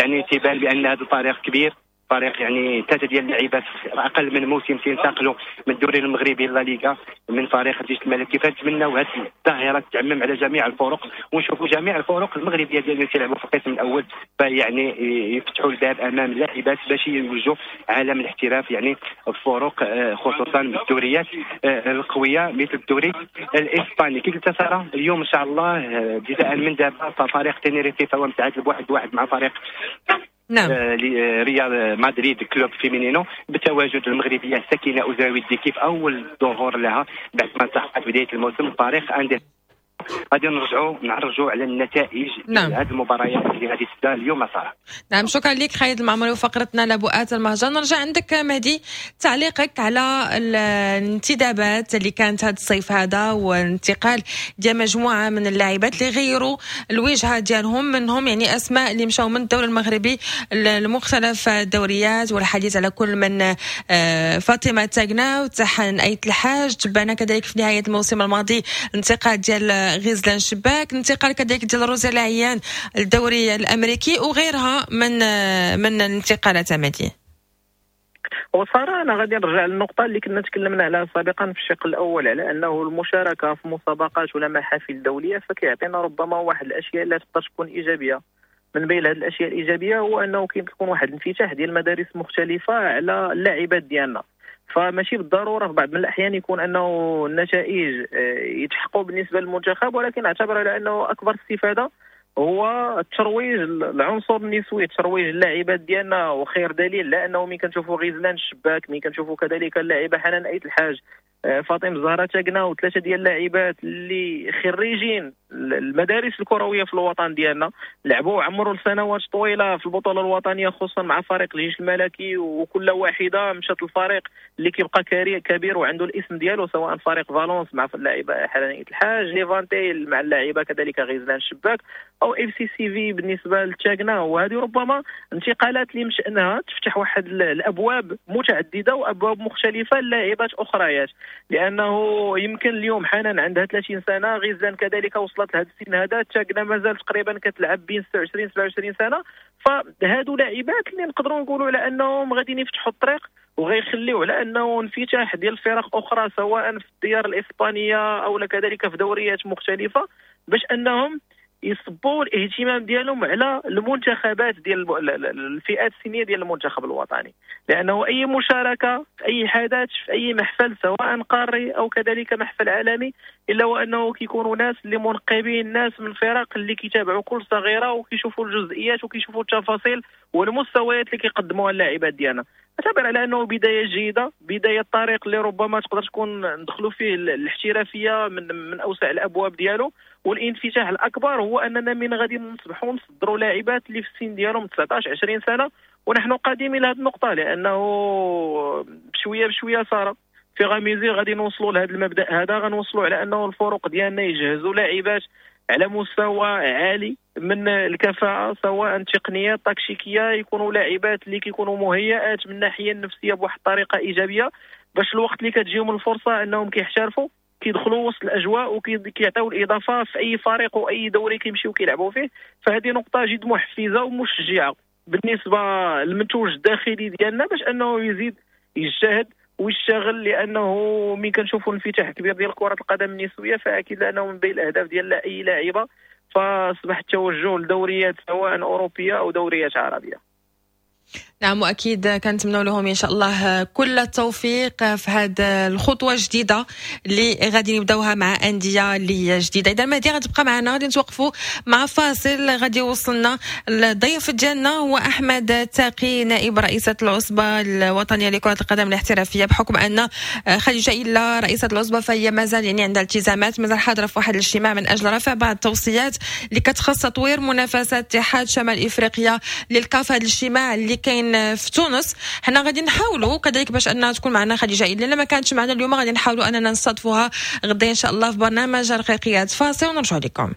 يعني تيبان بان هذا الفريق كبير، فريق يعني ثلاثة ديال اللاعبات اقل من موسم تينتقلوا من الدوري المغربي لا ليغا من فريق الجيش الملكي. فنتمناو هذه الظاهرة تعمم على جميع الفرق، ونشوفوا جميع الفرق المغربية ديال اللي تيلعبوا في القسم الاول فيعني يفتحوا الباب امام اللاعبات باش يوجوا عالم الاحتراف، يعني الفرق خصوصا بالدوريات القوية مثل الدوري الاسباني. كي قلت ساره اليوم ان شاء الله ابتداء من دابا ففريق تينيريفي فهو متعادل بواحد واحد مع فريق نعم. ريال مدريد Club Femenino بتواجد المغربية سكينة اوزاوي كيف اول ظهور لها بعد ما التحقت بداية الموسم فريق اندية. غادي نرجعوا نعرجوا على النتائج نعم. هذه المباريات اللي غادي تبدا اليوم صراحة. نعم شكرا لك خالد المعمري وفقرتنا لبؤات المهجر. نرجع عندك مهدي، تعليقك على الانتدابات اللي كانت هذا الصيف هذا والانتقال ديال مجموعة من اللاعبات اللي غيروا الوجهة ديالهم، منهم يعني اسماء اللي مشاو من الدوري المغربي لمختلف الدوريات، والحديث على كل من فاطمة تاغنا وتحن ايت الحاج، تبعنا كذلك في نهاية الموسم الماضي الانتقال ديال غزلان شباك، انتقال كذلك ديال روزا العيان الدوري الامريكي وغيرها من من الانتقالات. مهدي وصراحة انا غادي نرجع للنقطة اللي كنا تكلمنا عليها سابقا في الشق الاول، على انه المشاركة في مسابقات ولا محافل دولية فكيعطينا ربما واحد الاشياء اللي تقدر تكون ايجابية. من بين هذه الاشياء الايجابية هو انه كيكون واحد الانفتاح ديال المدارس مختلفة على اللاعبات ديالنا، فماشي بالضرورة في بعض من الاحيان يكون انه النتائج يتحققوا بالنسبة للمنتخب، ولكن اعتبر على انه اكبر استفاده هو الترويج العنصر النسوي، ترويج اللاعبات ديالنا. وخير دليل لانه ملي كنشوفوا غزلان الشباك، ملي كنشوفوا كذلك اللاعبه حنان ايت الحاج، فاطمة الزهراء تاكنا، وثلاثة ديال اللاعبات اللي خريجين المدارس الكروية في الوطن ديالنا، لعبوا وعمروا لسنوات طويلة في البطولة الوطنية خصوصا مع فريق الجيش الملكي، وكل واحدة مشات الفريق اللي كيبقى كبير وعنده الاسم ديالو، سواء فريق فالونس مع اللاعبه حنان ايت الحاج، ليفانتي مع اللاعبه كذلك غزلان الشباك، او اف سي سي في بالنسبة لتاكنا. وهذه ربما انتقالات اللي مشانها تفتح واحد الابواب متعددة وابواب مختلفة للاعبات اخريات، لانه يمكن اليوم حنان عندها ثلاثين سنة، غزلان كذلك وصلت لهذا السن هذا، تاكنا مازال تقريبا كتلعب بين ستة وعشرين سبعة وعشرين سنة. فهادو لاعبات اللي نقدروا نقولوا على انهم غاديين يفتحوا الطريق وغيخليو على انه انفتاح ديال فرق اخرى سواء في الديار الاسبانية او كذلك في دوريات مختلفة، باش انهم يصبوا الاهتمام ديالهم على المنتخبات ديال الفئات السنية ديال المنتخب الوطني، لانه اي مشاركة في اي حدث في اي محفل سواء قاري او كذلك محفل عالمي، الا وانه كيكونوا ناس اللي منقبين، ناس من الفرق اللي كيتابعوا كل صغيرة وكيشوفوا الجزئيات وكيشوفوا التفاصيل والمستويات اللي كيقدموها اللاعبات ديالنا. اعتبر على انه بداية جيدة، بداية طريق اللي ربما تقدر تكون ندخلوا فيه الاحترافية من من اوسع الابواب ديالو. والانفتاح الاكبر هو اننا من غادي نصبحوا نصدروا لاعبات اللي في السن ديالهم تسعطاش عشرين سنة، ونحن قادمين الى هذه النقطة، لانه بشوية بشوية صار في غاميزي غادي نوصلوا لهذا المبدا هذا، غنوصلوا على انه الفرق ديالنا يجهزوا لاعبات على مستوى عالي من الكفاءة، سواء تقنية تكتيكية، يكونوا لاعبات اللي كيكونوا مهيئات من الناحية النفسية بواحد الطريقة ايجابية، باش الوقت اللي كتجيهم الفرصة انهم كيحترفوا كيدخلوا وسط الاجواء وكيعطيو الاضافة في اي فريق واي دوري كيمشيو كيلعبوا فيه. فهذه نقطة جد محفزه ومشجعة بالنسبة للمنتوج الداخلي ديالنا باش انه يزيد يجتهد ويشتغل، لانه ملي كنشوفوا الانفتاح الكبير ديال كره القدم النسوية فاكيد انه من بين الاهداف ديال اي لاعبه فاصبح التوجه لدوريات سواء اوروبية او دوريات عربية. نعم، واكيد كنتمنوا لهم ان شاء الله كل التوفيق في هذه الخطوة الجديدة اللي غادي نبداوها مع اندية اللي هي جديدة. اذا مهدي غتبقى معنا، غادي نتوقفوا مع فاصل غادي يوصلنا الضيف ديالنا هو احمد تاقي نائب رئيسه العصبة الوطنية لكرة القدم الاحترافية، بحكم ان خديجة الا رئيسه العصبة فهي مازال يعني عندها التزامات، مازال حاضره في واحد الاجتماع من اجل رفع بعض التوصيات اللي كتخص تطوير منافسات اتحاد شمال افريقيا للكاف. هذا الاجتماع اللي كاين في تونس، حنا غادي نحاولوا كذلك باش انها تكون معنا خديجة الا ما كانتش معنا اليوم غادي نحاولوا اننا نستضيفوها غدا ان شاء الله في برنامج رقيقيات. فاصل ونرجع لكم.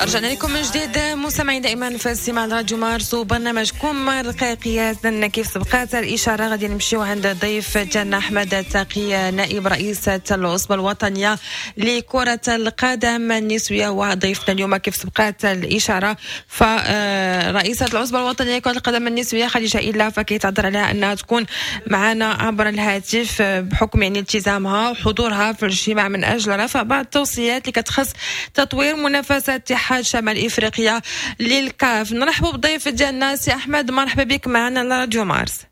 رجعنا لكم من جديد مستمعين دائما في استماع راديو مارس وبرنامجكم رقيقيات. كيف سبقات الاشارة غادي نمشيو عند الضيف ديالنا احمد التقي، نائب رئيس العصبة الوطنية لكرة القدم النسوية، وضيفنا اليوم كيف سبقات الاشارة فرئيسه العصبة الوطنية لكرة القدم النسوية خديجة إلا، فكيتعذر عليها انها تكون معنا عبر الهاتف بحكم يعني التزامها وحضورها في الاجتماع من اجل رفع بعض التوصيات اللي كتخص تطوير منافسه اتحاد شمال افريقيا للكاف. نرحبوا بالضيف ديالنا سي احمد، مرحبا بك معنا على راديو مارس.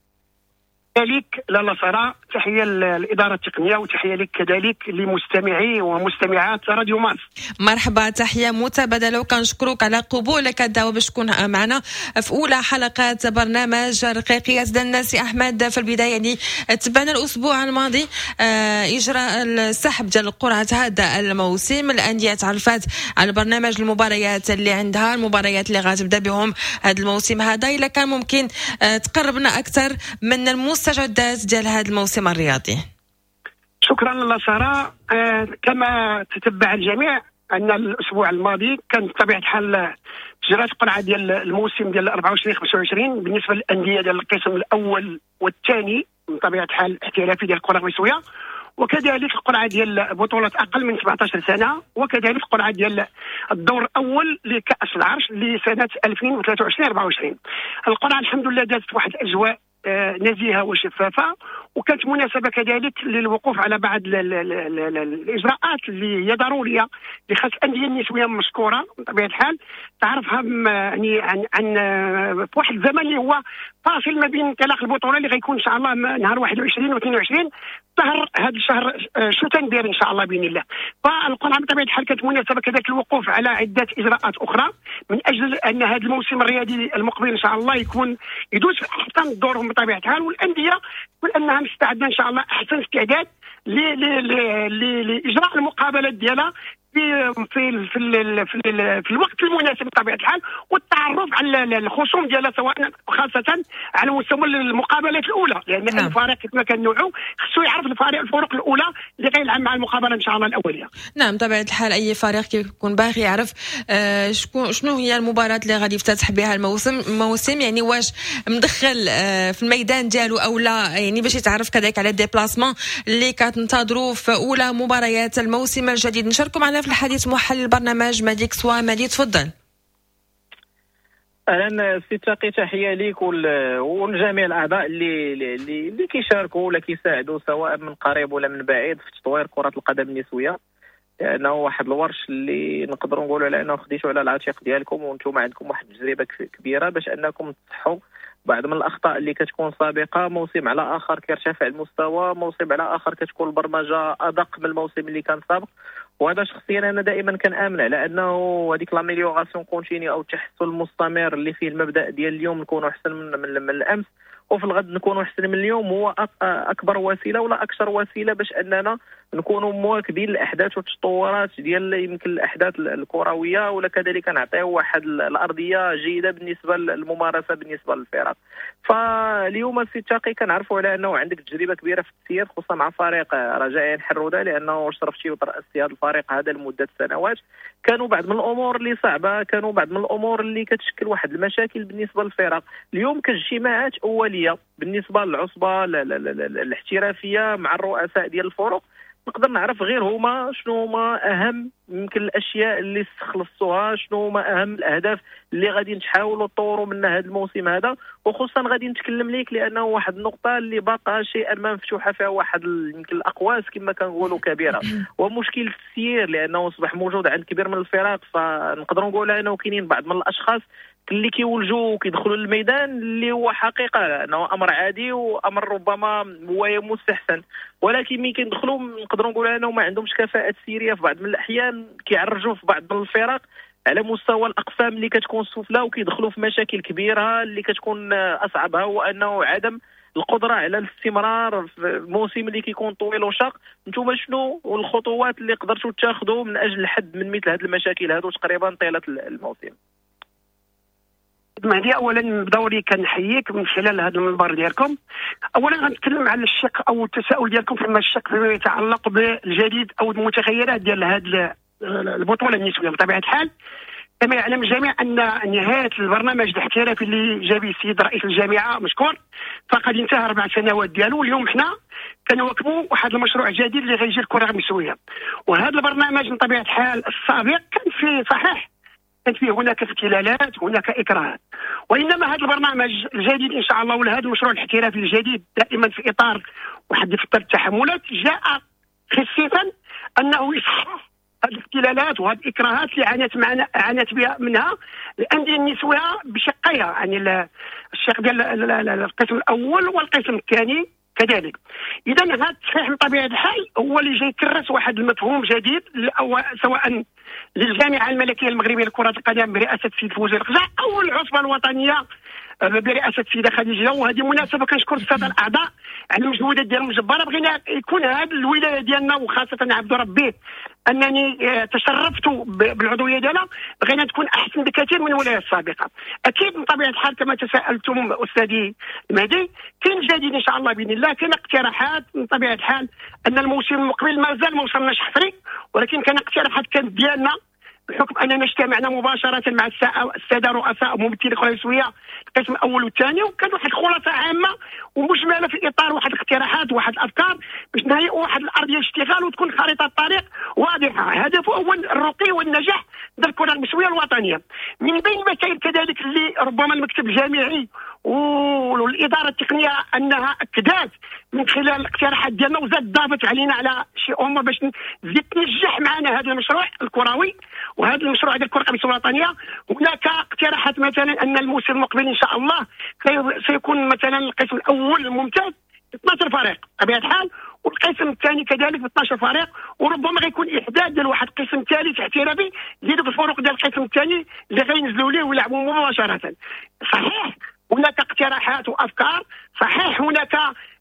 لك لاله ساره، تحية للادارة التقنية وتحية لك كذلك لمستمعي ومستمعات راديو مارس. مرحبا، تحية متبادلة وكنشكرك على قبولك الدعوة باش تكون معنا في اولى حلقات برنامج رقيقيات ديالنا. سي احمد، في البداية يعني تبعنا الاسبوع الماضي اجراء السحب ديال قرعه هذا الموسم، الاندية تعرفات على برنامج المباريات اللي عندها، المباريات اللي غتبدا بهم هذا الموسم هذا. الا كان ممكن تقربنا اكثر من المستجدات ديال هذا الموسم الرياضي. شكرا لاله ساره. آه كما تتبع الجميع ان الاسبوع الماضي كان بطبيعة الحال جرات القرعة ديال الموسم ديال أربعة وعشرين خمسة وعشرين بالنسبة للاندية ديال القسم الاول والثاني من طبيعة الحال الاحترافي ديال الكره المصرية، وكذلك القرعة ديال بطوله اقل من سبعة عشر سنة، وكذلك القرعة ديال الدور الاول لكاس العرش لسنه ألفين وثلاثة وعشرين أربعة وعشرين. القرعة الحمد لله دازت واحد الاجواء نزيهة وشفافه، وكانت مناسبة كذلك للوقوف على بعض الاجراءات اللي هي ضرورية اللي خاص الاندية النسوية مشكورة بطبيعة الحال تعرفها يعني عن عن في واحد الزمن اللي هو فاصل ما بين انطلاق البطولة اللي غيكون ان شاء الله نهار واحد وعشرين واثنين وعشرين شهر هذا الشهر شتنبير ان شاء الله باذن الله. فالقرعه بطبيعة الحال كانت مناسبة كذلك الوقوف على عده اجراءات اخرى من اجل ان هذا الموسم الرياضي المقبل ان شاء الله يكون يدوز في احسن الظروف بطبيعة الحال، والاندية تكون انها مستعدة ان شاء الله احسن استعداد لاجراء المقابلات ديالها في في في في, في الوقت المناسب بطبيعة الحال، والتعرف على الخصوم ديالها سواء خاصة على مستوى المقابلات الاولى، لان نعم. الفريق كما كنوعوا خصو يعرف الفريق الفرق الاولى اللي غيلعب مع المقابلة ان شاء الله الاولية. نعم بطبيعة الحال اي فريق كيكون باغي يعرف آه شكون شنو هي المباراة اللي غادي يفتتح بها الموسم الموسم يعني واش مدخل آه في الميدان ديالو او لا، يعني باش يتعرف كذلك على déplacement اللي كتنتظروا في اولى مباريات الموسم الجديد. نشاركوا معنا في الحديث محلل البرنامج مالك سوا. مالي تفضل. اهلا سي تاقي، تحية ليك ولجميع الاعضاء اللي اللي اللي كيشاركوا ولا كيساعدوا سواء من قريب ولا من بعيد في تطوير كره القدم النسوية، لانه واحد الورش اللي نقدروا نقولوا على انه خديتوا على العاتق ديالكم، وانتم عندكم واحد التجربة كبيرة باش انكم تصحوا بعض من الاخطاء اللي كتكون سابقه. موسم على اخر كيرتفع المستوى، موسم على اخر كتكون البرمجة ادق من الموسم اللي كان سابق، وهذا شخصيا انا دائما كنامن على انه هذيك l'amélioration continue او التحسن المستمر اللي فيه المبدا ديال اليوم نكونوا احسن من, من, من الامس وفي الغد نكونوا احسن من اليوم، هو اكبر وسيلة ولا اكثر وسيلة باش اننا نكونوا مواكبين الاحداث والتطورات ديال يمكن الاحداث الكروية، ولا كذلك نعطيو واحد الارضية جيدة بالنسبة للممارسة بالنسبة للفرق. فاليوم السي تاقي كنعرفوا على انه عندك تجربه كبيرة في التسيير خصوصا مع فريق رجاء حروده، لانه شرفتي وترأستي هذا الفريق هذا لمدة سنوات. كانوا بعض من الامور اللي صعبة، كانوا بعض من الامور اللي كتشكل واحد المشاكل بالنسبة للفرق. اليوم كاجتماعات اوليه بالنسبة للعصبه الاحترافية مع الرؤساء ديال الفرق، نقدر نعرف غير هما شنو هما اهم يمكن الاشياء اللي استخلصتوها، شنو هما اهم الاهداف اللي غادي نحاولوا نطوروا منها هذا الموسم هذا، وخصوصا غادي نتكلم لك لانه واحد النقطة اللي باقا شيئا ما مفتوحة فيها واحد يمكن الاقواس كما كنقولوا كبيرة، ومشكل التسيير لانه اصبح موجود عند كبير من الفرق. فنقدروا نقولوا انه كاينين بعض من الاشخاص اللي كيولجوا وكيدخلوا للميدان اللي هو حقيقة انه امر عادي وامر ربما هو مستحسن، ولكن ملي كيدخلوا نقدروا نقولوا انه ما عندهمش كفاءة تسييريه في بعض من الاحيان، كيعرجوا في بعض من الفرق على مستوى الاقسام اللي كتكون سفلى وكيدخلوا في مشاكل كبيرة اللي كتكون اصعبها هو انه عدم القدرة على الاستمرار في الموسم اللي كيكون طويل وشاق. انتم شنو الخطوات اللي قدرتوا تاخذوا من اجل الحد من مثل هذه المشاكل هذو تقريبا طيلة الموسم؟ مهدي، اولا بدوري كنحييك من خلال هذا المنبر ديالكم. اولا غنتكلم على الشق او التساؤل ديالكم فيما الشق فيما يتعلق بالجديد او المتغيرات ديال هذه البطولة النسوية. بطبيعة الحال كما يعلم الجميع ان نهاية البرنامج الاحترافي اللي جاب السيد رئيس الجامعة مشكور فقد انتهى اربع سنوات ديالو. اليوم حنا كنواكبوا واحد المشروع جديد اللي غيجي الكره النسوية، وهذا البرنامج من طبيعة الحال السابق كان فيه صحيح كانت فيه هناك اختلالات، هناك اكراهات، وانما هذا البرنامج الجديد ان شاء الله ولا هذا المشروع الاحترافي الجديد دائما في اطار واحد دفتر التحملات جاء خصيصا انه يصحح هذه الاختلالات وهذه الاكراهات اللي عانت معنا عانت بها منها الاندية النسوية بشقيها، يعني الشق ديال القسم الاول والقسم الثاني كذلك. اذا هذا التصحيح من طبيعة الحال هو اللي جاي يكرس واحد المفهوم جديد سواء للجامعة الملكية المغربية لكرة القدم برئاسة السيد فوزي القجع او العصبة الوطنية برئاسة السيدة خديجة. وهذه مناسبة كنشكر السادة الاعضاء على المجهودات ديالهم الجبارة. بغينا يكون هذه الولاية ديالنا وخاصة عبد ربي انني تشرفت بالعضويه ديالها، بغينا تكون احسن بكثير من الولايات السابقة. اكيد من طبيعة الحال كما تساءلتم استاذي المهدي كاين جديد ان شاء الله باذن الله، كاين اقتراحات من طبيعة الحال ان الموسم المقبل مازال ما وصلناش حصري، ولكن كان اقتراحات كانت ديالنا بحكم اننا اجتمعنا مباشرة مع السادة رؤساء وممثلي الكره النسوية القسم الاول والثاني، وكان واحد الخلاصة عامة ومجمله في اطار واحد الاقتراحات وواحد الافكار باش نهيئوا واحد الارضية الاشتغال وتكون خريطة الطريق واضحة. هدفه هو الرقي والنجاح ديال الكره النسوية الوطنية. من بين المسائل كذلك اللي ربما المكتب الجامعي والادارة التقنية انها اكدت من خلال الاقتراحات ديالنا وزاد ضافت علينا على شي امور باش تزيد تنجح معنا هذا المشروع الكروي وهذا المشروع ديال الكره النسوية الوطنية. هناك اقتراحات مثلا ان الموسم المقبل ان شاء الله سيكون مثلا القسم الاول الممتاز اثنا عشر فريق بطبيعة الحال، والقسم الثاني كذلك ب اثنا عشر فريق، وربما غيكون احداث ديال واحد القسم ثالث احترافي لدوك الفرق ديال القسم الثاني اللي غينزلوا ليه ويلعبوا مباشرة. صحيح هناك اقتراحات وافكار، صحيح هناك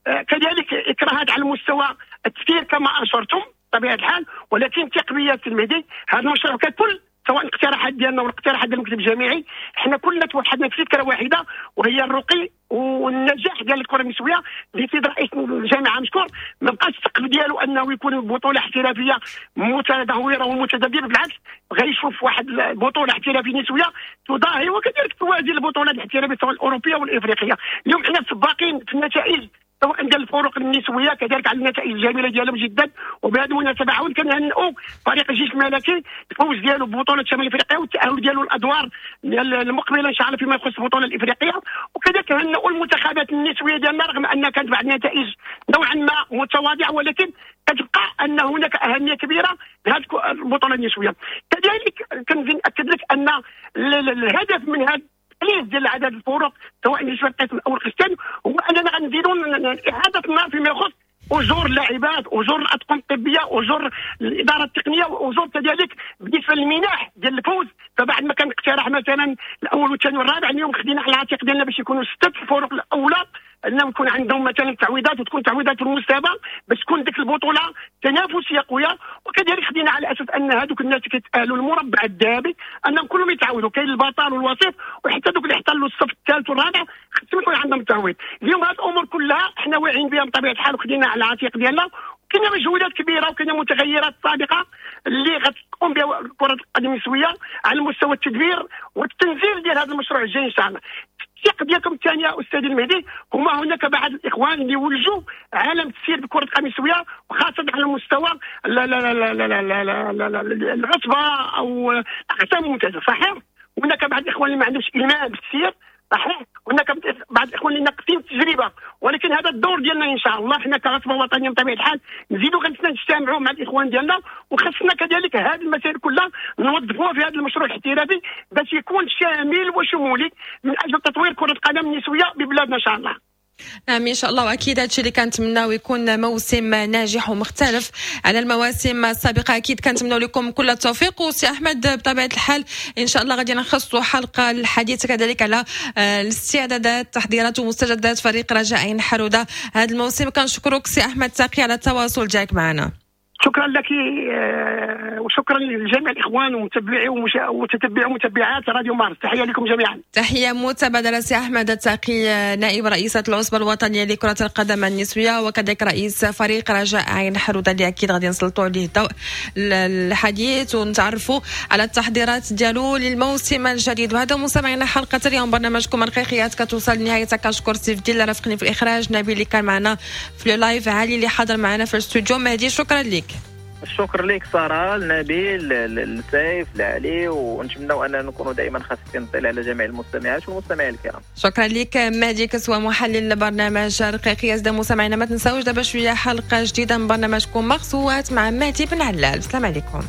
كذلك اكراهات على المستوى التسيير كما اشرتم بطبيعة الحال، ولكن تقنية المهدي هذا المشروع ككل سواء الاقتراحات ديالنا والاقتراحات ديال المكتب الجامعي حنا كلنا توحدنا في فكرة واحدة وهي الرقي والنجاح ديال الكره النسوية. اللي سيد رئيس الجامعة مشكور ما بقاش السقف ديالو انه يكون بطوله احترافية متدهوره ومتذبذبه، بالعكس غيشوف واحد البطولة احترافية نسويه تضاهي وكذلك توازي البطولات الاحترافية سواء الاوروبية والافريقيه. اليوم حنا سباقين في النتائج سواء ديال الفرق النسوية كذلك على النتائج الجميلة ديالهم جدا. وبهذه المناسبة عاود كنهنئوا فريق الجيش الملكي الفوز ديالو ببطولة شمال افريقيا والتاهل ديالو الادوار المقبلة ان شاء الله فيما يخص البطولة الافريقية. وكذلك هنئوا المنتخبات النسوية ديالنا رغم ان كانت بعض النتائج نوعا ما متواضعة، ولكن كتبقى ان هناك اهمية كبيرة لهذه البطولة النسوية. كذلك كنزيد ناكد لك ان الهدف من هذا التقليص ديال عدد الفرق سواء بالنسبة للقسم الاول والقسم الثاني هو اننا غنزيدوا اعاده النظر فيما يخص اجور اللاعبات، اجور الاطقم الطبية، اجور الادارة التقنية، واجور كذلك بالنسبة للمنح ديال الفوز. فبعد ما كان اقتراح مثلا الاول والثاني والرابع، اليوم خدينا على العاتق ديالنا باش يكونوا ستة الفرق الاولى انهم يكون عندهم مثلا تعويضات وتكون تعويضات في المستوى باش تكون ديك البطولة تنافسية قوية. وكذلك خدينا على اساس ان هذوك الناس اللي كيتاهلوا المربع الذهبي انهم كلهم يتعوضوا، كاين البطل والوصيف وحتى دوك اللي احتلوا الصف الثالث والرابع خصهم يكون عندهم تعويض. اليوم هذه الامور كلها حنا واعيين بها بطبيعة الحال وخدينا على العاتق ديالنا. كاينه مجهودات كبيرة وكاينه متغيرات سابقه اللي غتقوم بها كره القدم النسوية على مستوى التدبير والتنزيل ديال هذا المشروع الجاي ان شاء الله. الثقة ديالكم الثانية استاذ المهدي هما هناك بعض الاخوان اللي ولجوا عالم التسيير بكره القدم النسوية وخاصة على مستوى العصبة او الاقسام الممتازة. صحيح هناك بعض الاخوان اللي ما عندهمش ايمان بالتسيير، صحيح هناك بعض الاخوان اللي ناقصين التجربة، ولكن هذا الدور ديالنا ان شاء الله حنا كعصبه وطنية بطبيعة الحال نزيدوا خصنا نجتمعوا مع الاخوان ديالنا، وخصنا كذلك هذه المسائل كلها نوظفوها في هذا المشروع الاحترافي باش يكون شامل وشمولي من اجل تطوير كره القدم النسوية ببلادنا ان شاء الله. نعم ان شاء الله، واكيد هادشي اللي كنتمناو يكون موسم ناجح ومختلف على المواسم السابقة. اكيد كنتمناو لكم كل التوفيق. وسي احمد بطبيعة الحال ان شاء الله غادي نخصصوا حلقة للحديث كذلك على الاستعدادات، تحضيرات ومستجدات فريق رجاء عين حروده هذا الموسم. كنشكرك سي احمد تاقي على التواصل ديالك معنا. شكرا لك آه، وشكرا لجميع الاخوان ومتبعي ومتتبعي ومتبعات راديو مارس، تحية لكم جميعا. تحية متبادلة سي احمد التقي، نائب رئيسه العصبة الوطنية لكرة القدم النسوية وكذلك رئيس فريق رجاء عين حروده، اللي اكيد غادي نسلطوا عليه الضوء الحديث ونتعرفوا على التحضيرات ديالو للموسم الجديد. وهذا مستمعينا حلقة اليوم برنامجكم الرقيقيات كتوصل لنهايتها. كنشكر سيف الدين اللي رافقني في الاخراج، نبيل اللي كان معنا في ال live، علي اللي حضر معنا في الاستوديو، مهدي شكرا لك. الشكر لك ساره، لنبيل، لسيف، لعلي، ونتمنوا ان نكونوا دائما خفيفين الظل على جميع المستمعات والمستمعين الكرام. شكرا لك مهدي كسوة محلل برنامج رقيقيات. مستمعينا ما تنساوش دابا شوية حلقة جديدة من برنامجكم مغصوات مع مهدي بن علال. السلام عليكم.